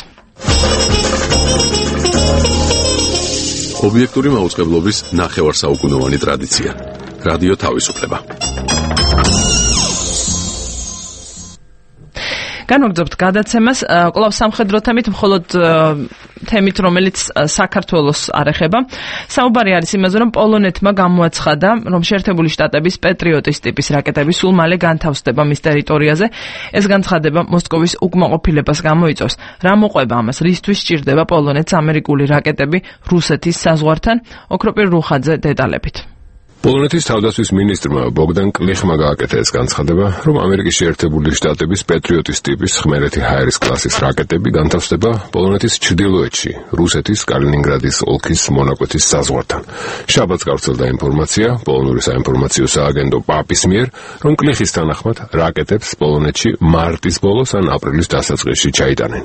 ობიექტური მაუწყებლობის ნახევარსაუკუნოვანი ტრადიცია. რადიო თავისუფლება. განვაგრძობთ გადაცემას კვლავ სამხედრო თემით, მხოლოდ თემით, რომელიც საქართველოს არ ეხება. საუბარი არის იმაზე, რომ პოლონეთმა გამოაცხადა, რომ შეერთებული შტატების პეტრიოტის ტიპის რაკეტები სულ მალე განთავსდება მის ტერიტორიაზე. ეს განცხადება მოსკოვის უკმაყოფილებას გამოიწვევს. რა მოყვება ამას? რისთვის სჭირდება პოლონეთს ამერიკული რაკეტები რუსეთის საზღვართან? ოქროპირ რუხაძე დეტალებით. პოლონეთის თავდაცვის მინისტრმა ბოგდან კლიხმა გააკეთა ეს განცხადება, რომ ამერიკის შეერთებული შტატების პეტრიოტის ტიპის ხმელეთი ჰაერის კლასის რაკეტები განთავსდება პოლონეთის ჩრდილოეთში, რუსეთის კალინინგრადის ოლქის მონაკვეთის საზღვართან. შაბათს გავრცელდა ინფორმაცია პოლონური საინფორმაციო სააგენტო პაპის მიერ, რომ კლიხის თანახმად რაკეტებს პოლონეთში მარტის ბოლოს ან აპრილის დასაწყისში ჩაიტანენ.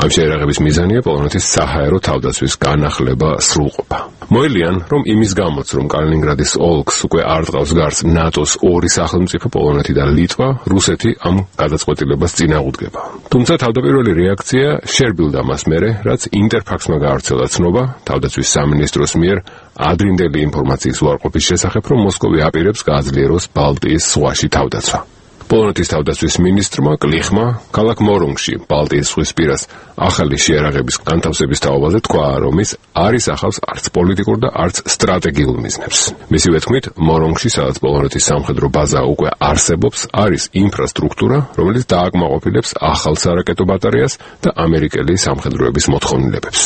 ამ შეერაღების მიზანია პოლონეთის საჰაერო თავდაცვის განახლება სრულყოფა. მოელიან, რომ იმის გამოც, რომ კალინინგრადის ოლქს უკვე არ ტყავს გარს ნატოს ორი სახელმწიფო პოლონეთი და ლიტვა, რუსეთი ამ გადაწყვეტილებას წინააღმდეგება. თუმცა თავდაპირველი რეაქცია შერბილდა მას მერე, რაც ინტერფაქსმა გაავრცელა ცნობა თავდაცვის სამინისტროს მიერ ადრინდელი ინფორმაციის უარყოფის შესახებ, რომ მოსკოვი აპირებს გააძლიეროს ბალტიის ზღვაში თავდაცვა. პოლონეთის თავდაცვის მინისტრმა კლიხმა ქალაქ მორონგში, ბალტიის ზღვის პირას, ახალი შეერაღების განთავსების თაობაზე თქვა, რომ ის არ ისახავს არც პოლიტიკურ და არც სტრატეგიულ მიზნებს. მისივე თქმით, მორონგში, სადაც პოლონეთის სამხედრო ბაზა უკვე არსებობს, არის ინფრასტრუქტურა, რომელიც დააკმაყოფილებს ახალ სარაკეტო ბატარეას და ამერიკელი სამხედროების მოთხოვნილებებს.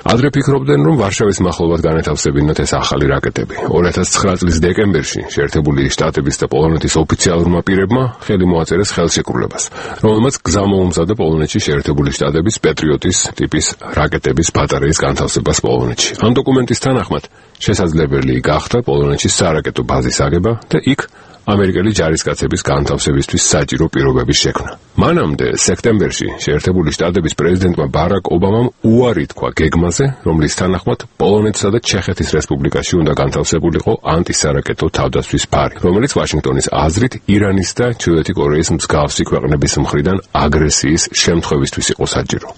ადრე ფიქრობდნენ, რომ ვარშავის მახლობლად განეთავსებინათ ეს ახალი რაკეტები. ორი ათას ცხრა წლის დეკემბერში შეერთებული შტატების და პოლონეთის ოფიციალურმა პირებმა ხელი მოაწერეს ხელშეკრულებას, რომელმაც გზა მოუმზადა პოლონეთში შეერთებული შტატების პეტრიოტის ტიპის რაკეტების ბატარეის განთავსებას პოლონეთში. ამ დოკუმენტის თანახმად შესაძლებელი გახდა პოლონეთში სარაკეტო ბაზის აგება და იქ ამერიკელი ჯარისკაცების განთავსებისთვის საჭირო პირობების შექმნა. მანამდე სექტემბერში შეერთებული შტატების პრეზიდენტმა ბარაკ ობამამ უარი თქვა გეგმაზე, რომლის თანახმად პოლონეთსა და ჩეხეთის რესპუბლიკაში უნდა განთავსებულიყო ანტისარაკეტო თავდაცვის ფარი, რომელიც ვაშინგტონის აზრით ირანის და ჩრდილოეთი კორეის მსგავსი ქვეყნების მხრიდან აგრესიის შემთხვევისთვის იყო საჭირო.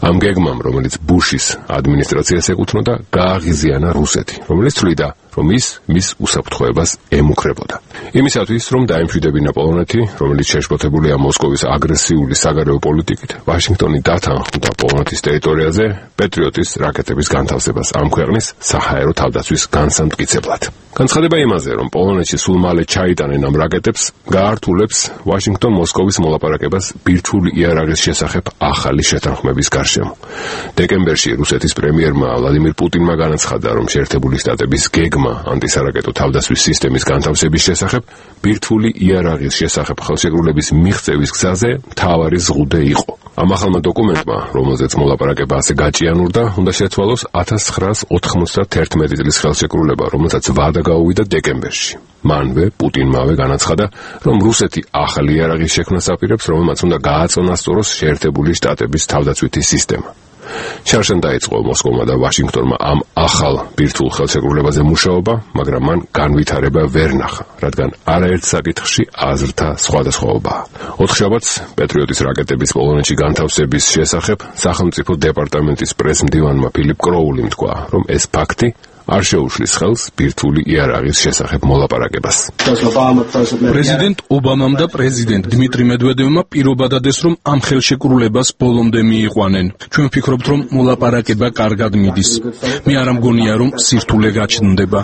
ამ გეგმამ, რომელიც ბუშის ადმინისტრაციას ეკუთვნოდა, გააღიზიანა რუსეთი, რომელიც თვლიდა, რომ ის მის უსაფრთხოებას ემუქრებოდა. იმისათვის, რომ დაემშვიდებინა პოლონეთი, რომელიც შეშფოთებულია მოსკოვის აგრესიული საგარეო პოლიტიკით, ვაშინგტონი დათანხმდა პოლონეთის ტერიტორიაზე პეტრიოტის რაკეტების განთავსებას ამ ქვეყნის საჰაერო თავდაცვის განსამტკიცებლად. განცხადება იმაზე, რომ პოლონეთში სულ მალე ჩაიტანენ ამ რაკეტებს, გაართულებს ვაშინგტონ-მოსკოვის მოლაპარაკებას ბირთვული იარაღის შესახებ ახალი შეთანხმების გარშემო. დეკემბერში რუსეთის პრემიერმა ვლადიმირ პუტინმა განაცხადა, რომ შეერთებული შტატების გეგმა ანტისარაკეტო თავდაცვის სისტემის განთავსების შესახებ ბირთვული იარაღის შესახებ ხელშეკრულების მიღწევის გზაზე მთავარი ზღუდე იყო. ამ ახალმა დოკუმენტმა, რომელზეც მოლაპარაკება ასე გაჭიანურდა, უნდა შეცვალოს ათას ცხრაას ოთხმოცდაათი წლის ხელშეკრულება, რომელსაც ვადა გაუვიდა დეკემბერში. მანვე პუტინმავე განაცხადა, რომ რუსეთი ახალი იარაღის შექმნას აპირებს, რომელმაც უნდა გააწონასწოროს შეერთებული შტატების თავდაცვითი სისტემა. შარშან დაიწყო მოსკოვმა და ვაშინგტონმა ამ ახალ ბირთვულ ხელშეკრულებაზე მუშაობა, მაგრამ მან განვითარება ვერ ნახა, რადგან არაერთ საკითხში აზრთა სხვადასხვაობაა. ოთხშაბათს პეტრიოტის რაკეტების პოლონეთში განთავსების შესახებ სახელმწიფო დეპარტამენტის პრესმდივანმა ფილიპ კროულიმ თქვა, რომ ეს ფაქტი არ შეუშლის ხელს ბირთვული იარაღის შესახებ მოლაპარაკებას. პრეზიდენტ ობამამ და პრეზიდენტ დმიტრი მედვედევმა პირობა დადეს, რომ ამ ხელშეკრულებას ბოლომდე მიიყვანენ. ჩვენ ვფიქრობთ, რომ მოლაპარაკება კარგად მიდის. მე არ მგონია, რომ სირთულე გაჩნდება.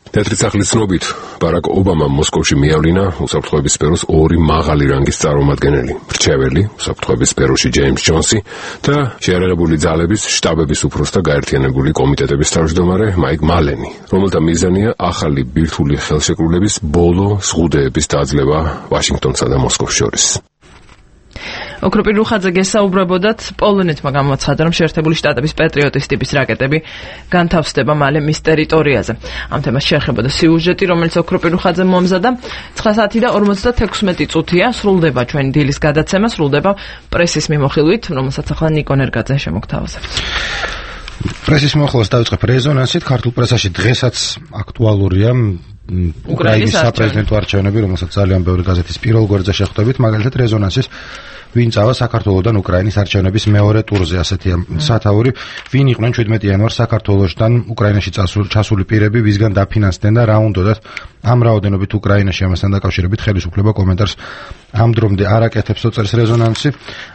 თეთრი სახლის ცნობით, ბარაკ ობამამ მოსკოვში მიავლინა უსაფრთხოების სფეროს ორი მაღალი რანგის წარმომადგენელი, მრჩეველი უსაფრთხოების სფეროში ჯეიმს ჯონსი და შეიარაღებული ძალების შტაბების უფროსთა გაერთიანებული კომიტეტების თავმჯდომარე მაიკ მალენი, რომელთა მიზანია ახალი ბირთვული ხელშეკრულების ბოლო ზღუდეების დაძლევა ვაშინგტონსა და მოსკოვს შორის. ოქროპირ რუხაძე გესაუბრებოდათ, პოლონეთმა გამოაცხადა, რომ შეერთებული შტატების პეტრიოტის ტიპის რაკეტები განთავსდება მალე მის ტერიტორიაზე. ამ თემას შეეხებოდა სიუჟეტი, რომელიც ოქროპირ რუხაძემ მომზადა. ცხრა საათი და ორმოცდათექვსმეტი წუთია სრულდება ჩვენი დილის გადაცემა, სრულდება პრესის მიმოხილვით, რომელსაც ახლა ნიკო ნერგაძე შემოგთავაზებთ. პრესის მიმოხილვას დავიწყებ რეზონანსით. ქართულ პრესაში დღესაც აქტუალურია უკრაინის საპრეზიდენტო არჩევნები, რომელსაც ძალიან ბევრი გაზეთის პირველ გვერდზე შეხვდებით, მაგალითად რეზონანსის ვინ წავა საქართველოსთან უკრაინის არჩევნების მეორე ტურზე, ასეთია სათაური, ვინ იყვნენ შვიდმეტი იანვარს საქართველოსთან უკრაინაში ჩასული პირები, ვისგან დაფინანსდნენ და რა უნდათ ამ რაოდენობით უკრაინაში ამასთან დაკავშირებით ხელისუფლება კომენტარს ამ დრომდე არ აკეთებს, წერს რეზონანსი.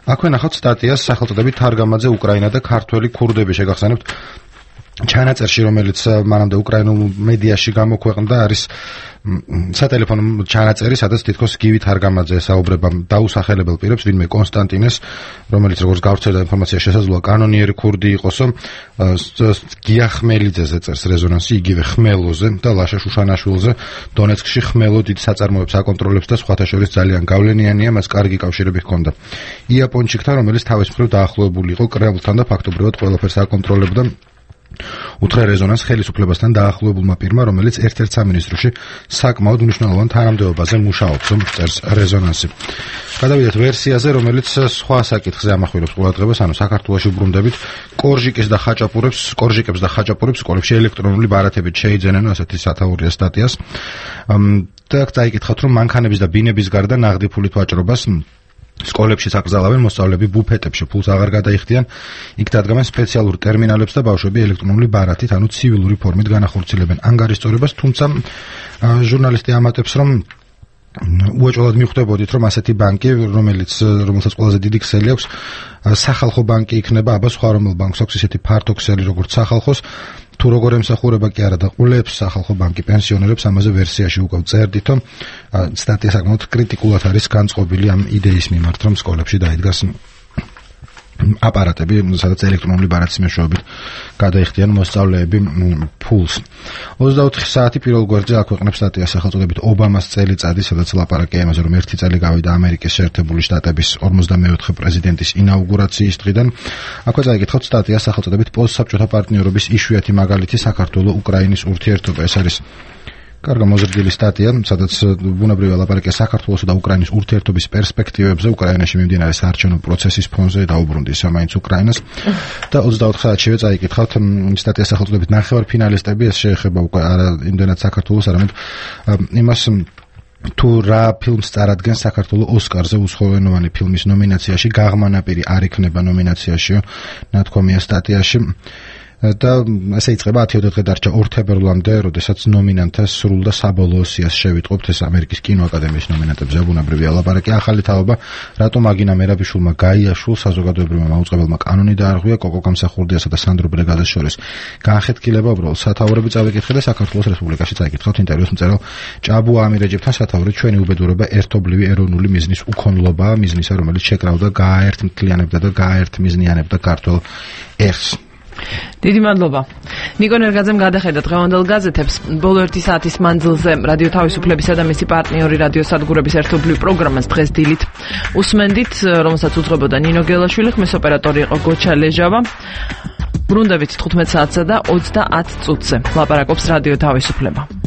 აქვე ნახავთ სტატიას სახელწოდებით თარგამაძე უკრაინა და ქართველი ქურდები, შეგახსენებთ ჩანაწერში, რომელიც მანამდე უკრაინულ მედიაში გამოქვეყნდა, არის სატელეფონო ჩანაწერი, სადაც თითქოს გივი თარგამაძე ესაუბრება დაუსახელებელ პირებს, ვინმე კონსტანტინეს, რომელიც როგორც გავრცელდა ინფორმაცია, შესაძლოა კანონიერი ქურდი იყოსო, გია ხმელიძეზე წერს რეზონანსი, იგივე ხმელოზე და ლაშა შუშანაშვილზე, დონეცკში ხმელო დიდ საწარმოებს აკონტროლებს და სხვათა შორის ძალიან გავლენიანია, მას კარგი კავშირები ჰქონდა იაპონჩიკთან, რომელიც თავის მხრივ დაახლოებული იყო კრემლთან და ფაქტობრივად ყველაფერს აკონტროლებდა. უთხრა რეზონანს ხელისუფლებასთან დაახლოებულმა პირმა, რომელიც ერთ-ერთ სამინისტროში საკმაოდ მნიშვნელოვან თანამდებობაზე მუშაობს, წერს რეზონანსი. გადავიდეთ ვერსიაზე, რომელიც სხვა საკითხზე ამახვილებს ყურადღებას, ანუ საქართველოში უბრუნდებით კორჟიკის და ხაჭაპურებს, კორჟიკებს და ხაჭაპურებს სკოლებში ელექტრონული ბარათებით შეიძენენ, ასეთი სათაურია სტატიას. და წაიკითხავთ, რომ მანქანების და ბინების გარდა ნაღდი ფულით ვაჭრობას სკოლებში აკრძალავენ, მოსწავლეები ბუფეტებში ფულს აღარ გადაიხდიან, იქ დადგამენ სპეციალურ ტერმინალებს და ბავშვები ელექტრონული ბარათით, ანუ ცივილური ფორმით განახორციელებენ ანგარიშწორებას, თუმცა ჟურნალისტი ამატებს, რომ უეჭველად მიხვდებოდით, რომ ასეთი ბანკი, რომელიც რომელსაც ყველაზე დიდი ქსელი აქვს, სახალხო ბანკი იქნება, აბა სხვა რომელ ბანკს აქვს ისეთი ფართო ქსელი, როგორც სახალხოს, თუ როგორ ემსახურება კი არა და ყულებს სახალხო ბანკი პენსიონერებს, ამაზე ვერსიაში უკვე წერდით, რომ სტატია საკმაოდ კრიტიკულად არის განწყობილი ამ იდეის მიმართ, რომ სკოლებში დაიდგას აპარატები, სადაც ელექტრონული ბარათის მეშვეობით გადაიხდიან მოსწავლეები ფულს. ოცდაოთხი საათი პირველ გვერდზე აქვეყნებს სტატიას სახელწოდებით ობამას წელიწადი, სადაც ლაპარაკია იმაზე, რომ ერთი წელი გავიდა ამერიკის შეერთებული შტატების ორმოცდამეოთხე პრეზიდენტის ინაუგურაციის დღიდან. აქვე წაიკითხავთ სტატიას სახელწოდებით პოსტსაბჭოთა პარტნიორობის იშვიათი მაგალითი საქართველო-უკრაინის ურთიერთობა. ეს არის კარგი მოზრდილი სტატია, სადაც ბუნებრივია ლაპარაკია საქართველოს და უკრაინის ურთიერთობის პერსპექტივებზე, უკრაინაში მიმდინარე საარჩევნო პროცესის ფონზე დაუბრუნდეს მაინც უკრაინას. და ოცდაოთხ საათშივე წაიკითხავთ სტატიას სახელწოდებით ნახევარფინალისტები, ეს შეეხება უკვე არა იმდენად საქართველოს, არამედ იმას თუ რა ფილმს წარადგენს საქართველოს ოსკარზე უცხოენოვანი ფილმის ნომინაციაში, გაღმანაპირი არ იქნება ნომინაციაში, ნათქვამია სტატიაში. და ესე იწყება ათი დღე დარჩა ორ თებერვლამდე, როდესაც ნომინანტთა სრულ და საბოლოო სიას შევიტყობთ, ეს ამერიკის კინოაკადემიის ნომინანტებზე ბუნებრივია ლაპარაკი. ახალი თაობა, რატომ აგინა მერაბიშვილმა გაიაშულ საზოგადოებრივმა მაუწყებელმა კანონი დაარღვია კოკო გამსახურდიასა და სანდრო ბრეგაძეს შორის. განხეთქილება უბრალოდ სათაურები წავიკითხე და საქართველოს რესპუბლიკაში წაიკითხავთ ინტერვიუს მწერალ ჭაბუ ამირეჯებთან სათაური ჩვენი უბედურება ერთობლივი ეროვნული მიზნის უქონლობაა, მიზნისა რომელიც შეკრავდა გააერთმთლიანებდა და გააერთმიზნიანებდა ქართულ ერს. დიდი მადლობა. ნიკო ნერგაძემ გადახედა დღევანდელ გაზეთებს. ბოლო ერთი საათის მანძილზე რადიო თავისუფლებისა და მისი პარტნიორი რადიო სადგურების ერთობლივ პროგრამას დღეს დილით უსმენდით, რომელსაც უძღვებოდა ნინო გელაშვილი, ხმის ოპერატორი იყო გოჩა ლეჟავა. ბრუნდებით თხუთმეტ საათსა და ოცდაათ წუთზე. ლაპარაკობს რადიო თავისუფლება.